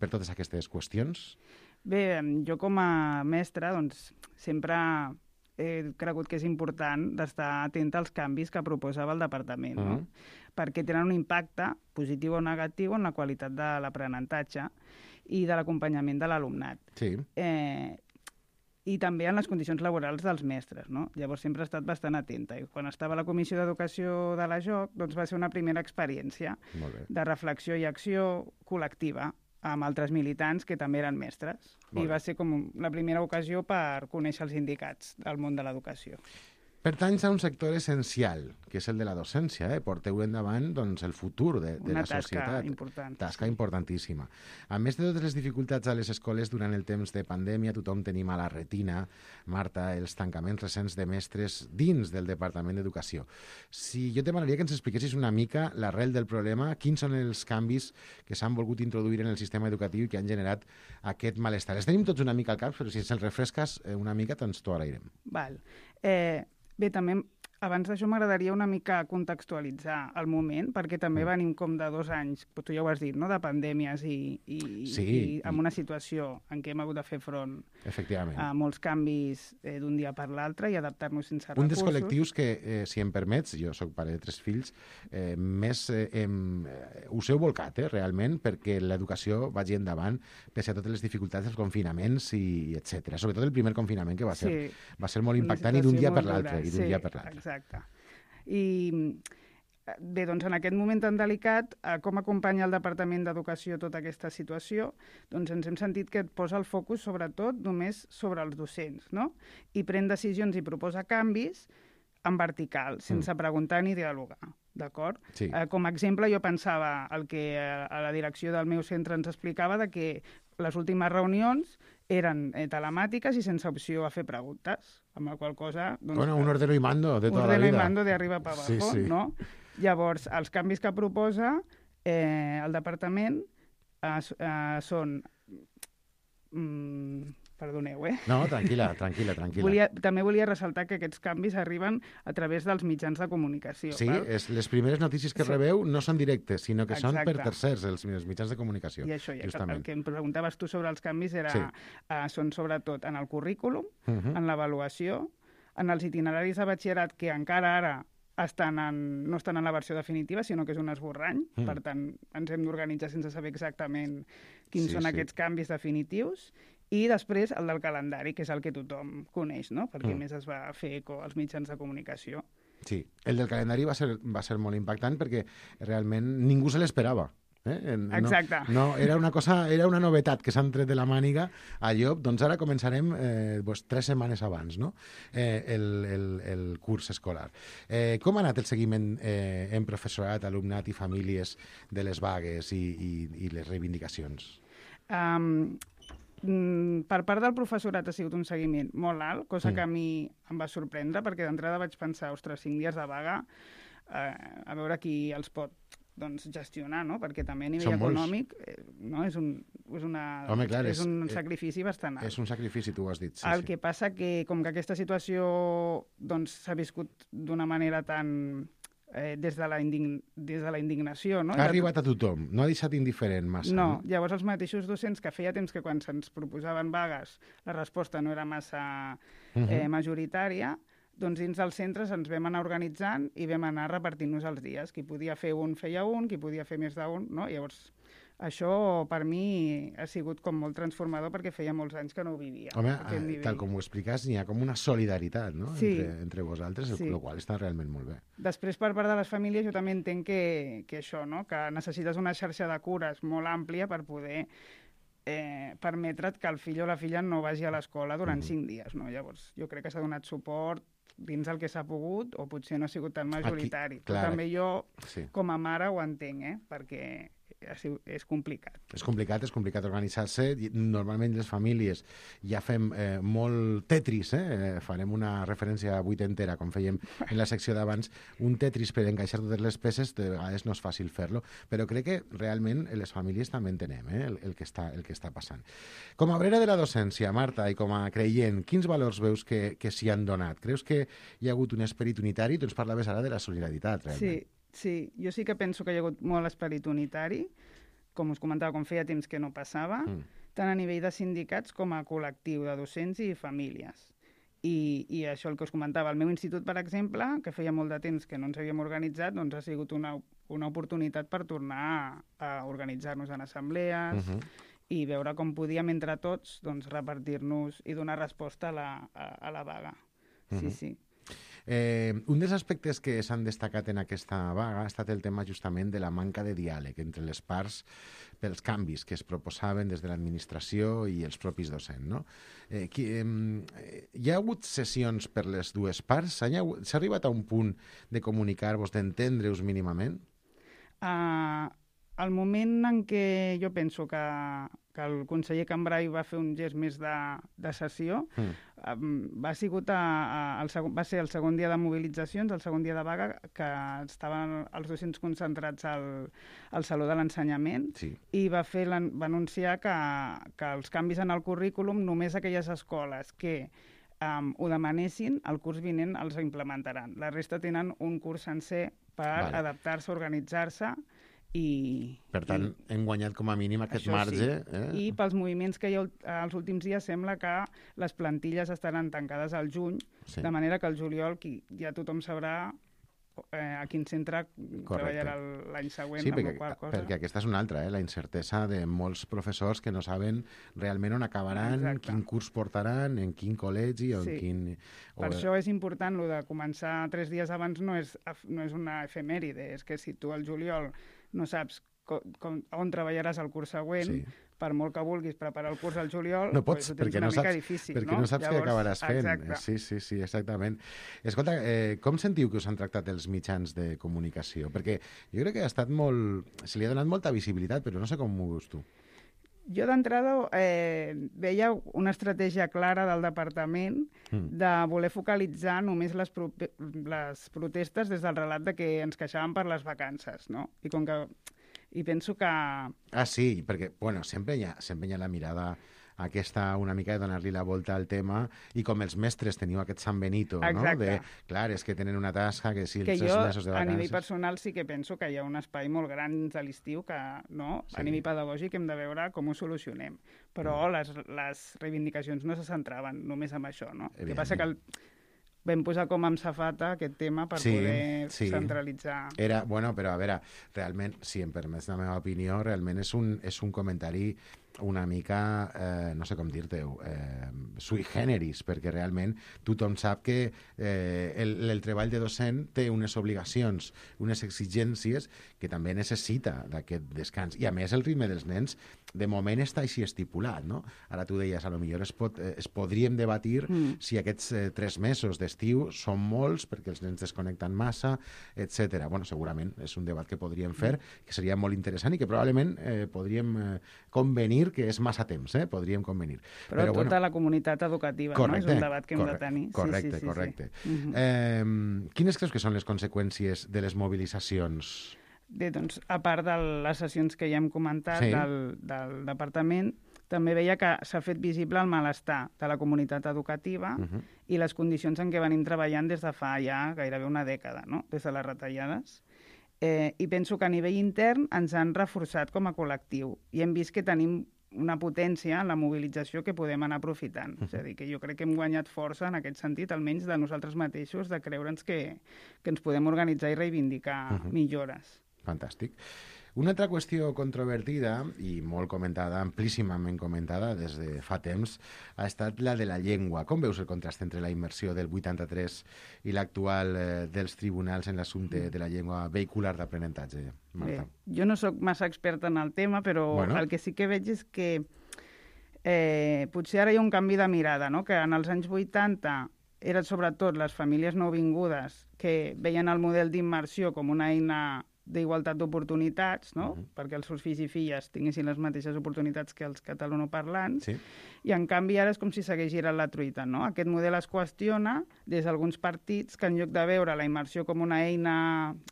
totes aquestes qüestions? Bé, jo com a mestra doncs, sempre he cregut que és important d'estar atenta als canvis que proposava el departament, no? Perquè tenen un impacte positiu o negatiu en la qualitat de l'aprenentatge i de l'acompanyament de l'alumnat. Sí. i també en les condicions laborals dels mestres, no? Llavors sempre he estat bastant atenta. I quan estava a la Comissió d'Educació de la JOC, doncs va ser una primera experiència de reflexió i acció col·lectiva amb altres militants que també eren mestres. I va ser com la primera ocasió per conèixer els sindicats del món de l'educació. Pertanys a un sector essencial, que és el de la docència. Porteu endavant doncs, el futur de la societat. Una tasca important. Tasca importantíssima. A més de totes les dificultats a les escoles durant el temps de pandèmia, tothom tenim a la retina, Marta, els tancaments recents de mestres dins del Departament d'Educació. Si jo te demanaria que ens expliquessis una mica l'arrel del problema, quins són els canvis que s'han volgut introduir en el sistema educatiu i que han generat aquest malestar. Els tenim tots una mica al cap, però si ens el refresques una mica, doncs t'ho agrairem. Val. Bé, també abans d'això m'agradaria una mica contextualitzar el moment, perquè també venim com de 2 anys, tu ja ho has dit, no?, de pandèmies i amb una situació en què hem hagut de fer front a molts canvis d'un dia per l'altre i adaptar-nos sense recursos. Un dels col·lectius que, si em permets, jo soc pare de 3 fills, més us heu volcat, realment, perquè l'educació vagi endavant, pese a totes les dificultats dels confinaments i etc. Sobretot el primer confinament, que va ser molt impactant i d'un dia per l'altre. Exacte. I bé, doncs en aquest moment tan delicat, com acompanya el Departament d'Educació tota aquesta situació, doncs ens hem sentit que et posa el focus sobretot només sobre els docents, no? I pren decisions i proposa canvis en vertical, sense preguntar ni dialogar, d'acord? Sí. Com a exemple, jo pensava el que a la direcció del meu centre ens explicava de que les últimes reunions eren telemàtiques i sense opció a fer preguntes, amb la qual cosa... Doncs, bueno, un ordeno y mando de tota la vida. Un ordeno y mando de arriba para abajo, no? Llavors, els canvis que proposa el departament són... Perdoneu, No, tranquil·la. També volia ressaltar que aquests canvis arriben a través dels mitjans de comunicació. Sí, les primeres notícies que rebeu no són directes, sinó que són per tercers, els mitjans de comunicació. I això, el que em preguntaves tu sobre els canvis són sobretot en el currículum, en l'avaluació, en els itineraris de batxillerat que encara ara no estan en la versió definitiva, sinó que és un esborrany. Per tant, ens hem d'organitzar sense saber exactament quins són aquests canvis definitius. I després el del calendari, que és el que tothom coneix, no? Perquè més es va fer eco als mitjans de comunicació. Sí, el del calendari va ser molt impactant perquè realment ningú se l'esperava. Exacte. No, era una novetat que s'han tret de la màniga a llop, doncs ara començarem 3 setmanes abans, no? El curs escolar. Com ha anat el seguiment en professorat, alumnat i famílies de les vagues i les reivindicacions? Per part del professorat ha sigut un seguiment molt alt, cosa que a mi em va sorprendre, perquè d'entrada vaig pensar, ostres, 5 dies de vaga, a veure qui els pot gestionar, no? Perquè també a nivell econòmic és un sacrifici bastant alt. És un sacrifici, tu ho has dit. El que passa que, com que aquesta situació s'ha viscut d'una manera tan... des de la indignació, no? Ha arribat a tothom, no ha deixat indiferent massa. No, llavors els mateixos docents que feia temps que quan se'ns proposaven vagues la resposta no era massa majoritària, doncs dins dels centres ens vam anar organitzant i vam anar repartint-nos els dies. Qui podia fer un, feia un, qui podia fer més d'un, no? Llavors, això per mi ha sigut com molt transformador perquè feia molts anys que no ho vivia. Home, tal com ho expliques, n'hi ha com una solidaritat, no? Sí. Entre vosaltres, el qual està realment molt bé. Després, per part de les famílies, jo també entenc que això, no? Que necessites una xarxa de cures molt àmplia per poder permetre't que el fill o la filla no vagi a l'escola durant 5 dies, no? Llavors, jo crec que s'ha donat suport dins el que s'ha pogut, o potser no ha sigut tan majoritari. Però també jo, com a mare, ho entenc, perquè és complicat. És complicat organitzar-se. Normalment les famílies ja fem molt tetris, farem una referència vuitentera, com fèiem en la secció d'abans, un tetris per encaixar totes les peces, de vegades no és fàcil fer-lo, però crec que realment les famílies també entenem el que està passant. Com a obrera de la docència, Marta, i com a creient, quins valors veus que s'hi han donat? Creus que hi ha hagut un esperit unitari? Tu ens parlaves ara de la solidaritat, realment. Sí, jo sí que penso que hi ha hagut molt esperit unitari, com us comentava, com feia temps que no passava, tant a nivell de sindicats com a col·lectiu de docents i famílies. I això el que us comentava, el meu institut, per exemple, que feia molt de temps que no ens havíem organitzat, doncs ha sigut una oportunitat per tornar a organitzar-nos en assemblees i veure com podíem entre tots doncs, repartir-nos i donar resposta a la vaga. Sí, sí. Un dels aspectes que s'han destacat en aquesta vaga ha estat el tema justament de la manca de diàleg entre les parts pels canvis que es proposaven des de l'administració i els propis docents, no? Hi ha hagut sessions per les dues parts? S'ha arribat a un punt de comunicar-vos, d'entendre-us mínimament? Al moment en què jo penso que el conseller Cambray va fer un gest més de sessió, va ser el segon dia de mobilitzacions, el segon dia de vaga, que estaven els docents concentrats al Saló de l'Ensenyament, i va anunciar que els canvis en el currículum només aquelles escoles que ho demanessin, el curs vinent els implementaran. La resta tenen un curs sencer per adaptar-se, organitzar-se, per tant, hem guanyat com a mínim aquest marge. I pels moviments que hi ha els últims dies sembla que les plantilles estaran tancades al juny, de manera que al juliol ja tothom sabrà a quin centre treballarà l'any següent. Sí, perquè aquesta és una altra, la incertesa de molts professors que no saben realment on acabaran, quin curs portaran, en quin col·legi o en quin... Per això és important, el de començar 3 dies abans no és una efemèride, és que si tu al juliol no saps on treballaràs el curs següent, per molt que vulguis preparar el curs al juliol, no pots, ho tens una mica difícil. Perquè no saps què acabaràs fent. Sí, exactament. Escolta, com sentiu que us han tractat els mitjans de comunicació? Perquè jo crec que se li ha donat molta visibilitat, però no sé com ho veus tu. Jo d'entrada veia una estratègia clara del departament de voler focalitzar només les protestes des del relat de que ens queixàvem per les vacances, no? I penso que... Sí, perquè, bueno, sempre hi ha la mirada aquesta una mica de donar-li la volta al tema, i com els mestres teniu aquest San Benito, no? Clar, és que tenen una tasca que si els 3 mesos de vacances... A nivell personal sí que penso que hi ha un espai molt gran de l'estiu que, a nivell pedagògic hem de veure com ho solucionem. Però les reivindicacions no se centraven només en això, no? El que passa que vam posar com amb safata aquest tema per poder centralitzar... Bueno, però a veure, realment, si em permets la meva opinió, realment és un comentari una mica, no sé com dir-te-ho, sui generis, perquè realment tothom sap que el treball de docent té unes obligacions, unes exigències que també necessita d'aquest descans. I a més el ritme dels nens de moment està així estipulat, no? Ara tu deies, potser es podríem debatir si aquests 3 mesos d'estiu són molts perquè els nens desconnecten massa, etc. Bueno, segurament és un debat que podríem fer, que seria molt interessant i que probablement podríem convenir que és massa temps, podríem convenir. Però tota la comunitat educativa, no? És un debat que hem de tenir. Correcte. Quines creus que són les conseqüències de les mobilitzacions? Bé, doncs, a part de les sessions que ja hem comentat del departament, també veia que s'ha fet visible el malestar de la comunitat educativa i les condicions en què venim treballant des de fa ja gairebé una dècada, no? Des de les retallades. I penso que a nivell intern ens han reforçat com a col·lectiu i hem vist que tenim una potència en la mobilització que podem anar aprofitant. És a dir, que jo crec que hem guanyat força en aquest sentit, almenys de nosaltres mateixos, de creure'ns que ens podem organitzar i reivindicar millores. Fantàstic. Una altra qüestió controvertida i molt comentada, amplíssimament comentada des de fa temps, ha estat la de la llengua. Com veus el contrast entre la immersió del 83 i l'actual dels tribunals en l'assumpte de la llengua vehicular d'aprenentatge, Marta? Bé, jo no sóc massa experta en el tema, però el que sí que veig és que potser ara hi ha un canvi de mirada, no? Que en els anys 80 eren sobretot les famílies nouvingudes que veien el model d'immersió com una eina d'igualtat d'oportunitats, no? Perquè els seus fills i filles tinguessin les mateixes oportunitats que els catalanoparlants, i en canvi ara és com si s'hagués girat la truita, no? Aquest model es qüestiona des d'alguns partits que en lloc de veure la immersió com una eina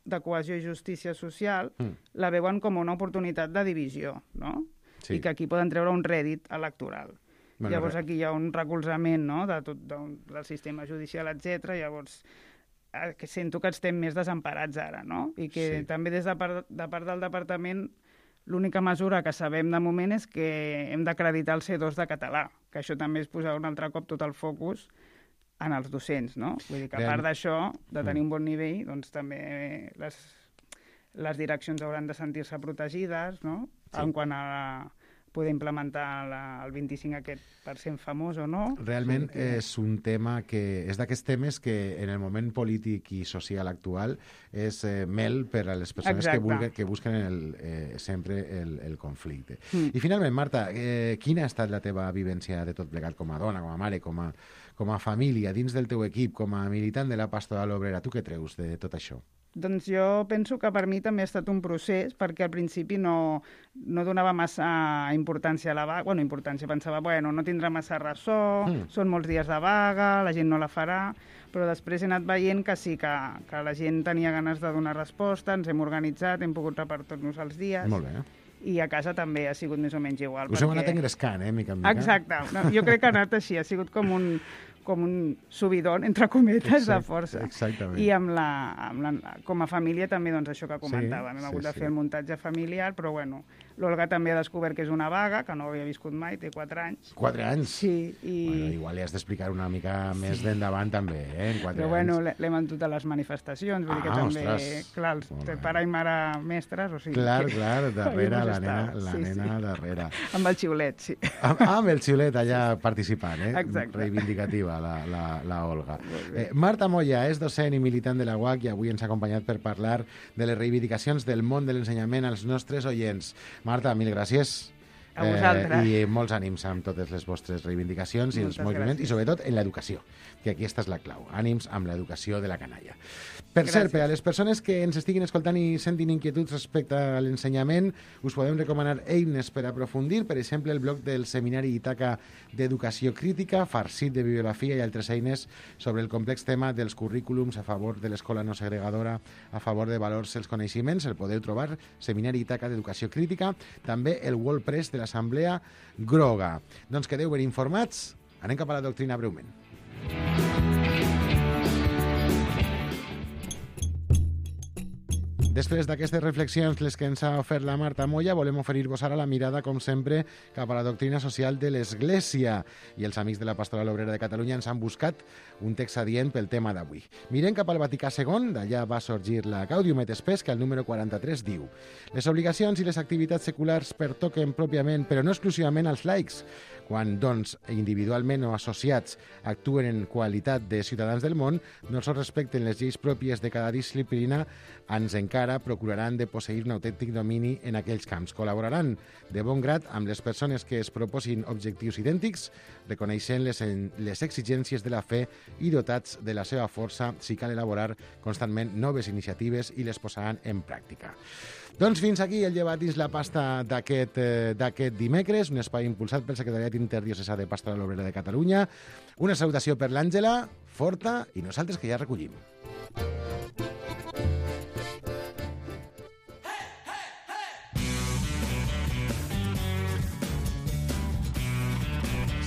de cohesió i justícia social, la veuen com una oportunitat de divisió, no? I que aquí poden treure un rèdit electoral. Llavors aquí hi ha un recolzament, no? De tot del sistema judicial, etc. Llavors que sento que estem més desemparats ara, no? I que també des de part del departament l'única mesura que sabem de moment és que hem d'acreditar el C2 de català, que això també és posar un altre cop tot el focus en els docents, no? Vull dir que a part d'això, de tenir un bon nivell, doncs també les direccions hauran de sentir-se protegides, no? En quant a poder implementar el 25% famós o no. Realment és un tema que és d'aquests temes que en el moment polític i social actual és mel per a les persones que busquen sempre el conflicte. I finalment, Marta, quina ha estat la teva vivència de tot plegat com a dona, com a mare, com a família, dins del teu equip, com a militant de la Pastoral Obrera? Tu què treus de tot això? Doncs jo penso que per mi també ha estat un procés, perquè al principi no donava massa importància a la vaga. Bueno, pensava, no tindrà massa ressò, són molts dies de vaga, la gent no la farà, però després he anat veient que sí, que la gent tenia ganes de donar resposta, ens hem organitzat, hem pogut repartir-nos els dies. Molt bé. I a casa també ha sigut més o menys igual. Us heu anat engrescant, mica en mica. Exacte. No, jo crec que ha anat així, ha sigut com un subidón, entre cometes, de força. Exactament. I com a família també, doncs, això que comentàvem. Hem hagut de fer el muntatge familiar, però bueno, l'Olga també ha descobert que és una vaga, que no havia viscut mai, té 4 anys. 4 anys? Sí. Bueno, igual li has d'explicar una mica més d'endavant també, en 4 anys. Però bueno, l'hem entut a les manifestacions, vull dir que també, clar, el pare i mare mestres, o sigui... Clar, darrere, la nena darrere. Amb el xiulet, sí. Amb el xiulet allà participant, Exacte. Reivindicativa, la Olga. Marta Moya és docent i militant de la UAC i avui ens ha acompanyat per parlar de les reivindicacions del món de l'ensenyament als nostres oients. Marta, mil gràcies. A vosaltres. I molts ànims amb totes les vostres reivindicacions i els moviments, i sobretot en l'educació, que aquesta és la clau. Ànims amb l'educació de la canalla. Per cert, per a les persones que ens estiguin escoltant i sentin inquietuds respecte a l'ensenyament, us podem recomanar eines per aprofundir, per exemple, el blog del Seminari Ítaca d'Educació Crítica, farcit de bibliografia i altres eines sobre el complex tema dels currículums a favor de l'escola no segregadora, a favor de valors els coneixements. El podeu trobar, Seminari Ítaca d'Educació Crítica, també el WordPress de l'Assemblea Groga. Doncs quedeu ben informats, anem cap a la doctrina breument. Després d'aquestes reflexions, les que ens ha ofert la Marta Moya, volem oferir-vos ara la mirada, com sempre, cap a la doctrina social de l'Església. I els amics de la Pastoral Obrera de Catalunya ens han buscat un text adient pel tema d'avui. Mirem cap al Vaticà II, d'allà va sorgir la Gaudium et Spes, que al número 43 diu: les obligacions i les activitats seculars pertoquen pròpiament, però no exclusivament als laics. Quan, doncs, individualment o associats actuen en qualitat de ciutadans del món, no sols respecten les lleis pròpies de cada disciplina, ens encara procuraran de posseir un autèntic domini en aquells camps. Col·laboraran de bon grat amb les persones que es proposin objectius idèntics, reconeixent les exigències de la fe i dotats de la seva força si cal elaborar constantment noves iniciatives i les posaran en pràctica. Doncs fins aquí el llevat dins la pasta d'aquest dimecres, un espai impulsat pel Secretariat Interdiocesà de Pastoral Obrera de Catalunya. Una salutació per l'Àngela, forta, i nosaltres que ja recollim.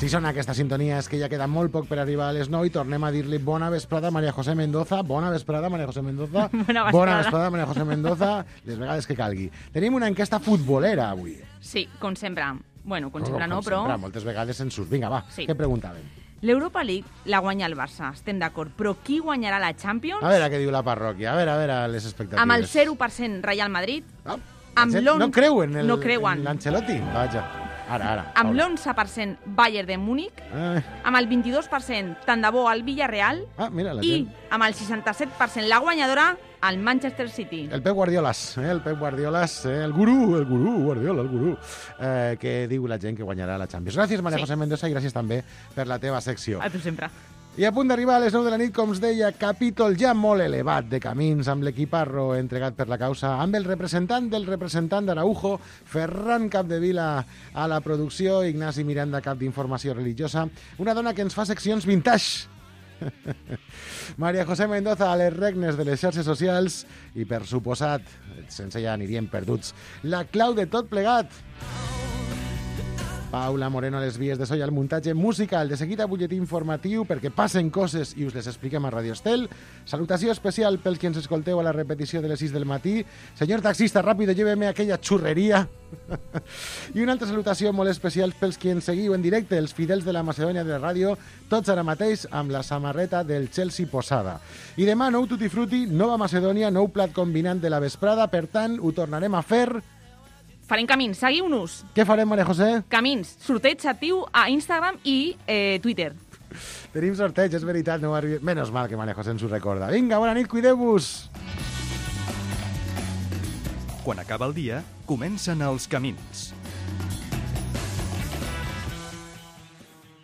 Si sona aquesta sintonia és que ja queda molt poc per arribar a les 9 i tornem a dir-li bona vesprada a Maria José Mendoza. Bona vesprada, Maria José Mendoza. Bona vesprada, Maria José Mendoza. Les vegades que calgui. Tenim una enquesta futbolera avui. Sí, com sempre. Bueno, com sempre no, però... Sempre, moltes vegades en surt. Vinga, va, sí. Què preguntàvem? L'Europa League la guanya el Barça, estem d'acord, però qui guanyarà la Champions? A veure què diu la parròquia, a veure les expectatives. Amb el 0% Real Madrid, no creuen no creuen l'Ancelotti? Vaja. Ara. Amb l'11% Bayern de Múnich, amb el 22% tant de bo al Villarreal i amb el 67% la guanyadora al Manchester City. El Pep Guardiolas, el gurú Guardiola, que diu la gent que guanyarà la Champions. Gràcies, Maria José Mendoza, i gràcies també per la teva secció. A tu sempre. I a punt d'arribar a les 9 de la nit, com us deia, capítol ja molt elevat de camins amb l'equiparro entregat per la causa, amb el representant del representant d'Araujo, Ferran Capdevila a la producció, Ignasi Miranda, cap d'Informació Religiosa, una dona que ens fa seccions vintage. Maria José Mendoza a les regnes de les xarxes socials i, per suposat, sense ja aniríem perduts, la clau de tot plegat. Paula Moreno a les vies de so i al muntatge musical. De seguida, butlletí informatiu perquè passen coses i us les expliquem a Radio Estel. Salutació especial pels que ens escolteu a la repetició de les 6 del matí. Senyor taxista, ràpido, lléveme aquella xurreria. I una altra salutació molt especial pels que ens seguiu en directe, els fidels de la Macedònia de la ràdio, tots ara mateix amb la samarreta del Chelsea posada. I demà, nou tutti frutti, nova Macedònia, nou plat combinant de la vesprada, per tant, ho tornarem a fer Farem camins, seguiu-nos. Què farem, Maria José? Camins, sorteig actiu a Instagram i Twitter. Tenim sorteig, és veritat, no ho arribi... Menos mal que Maria José ens ho recorda. Vinga, bona nit, cuideu-vos! Quan acaba el dia, comencen els camins.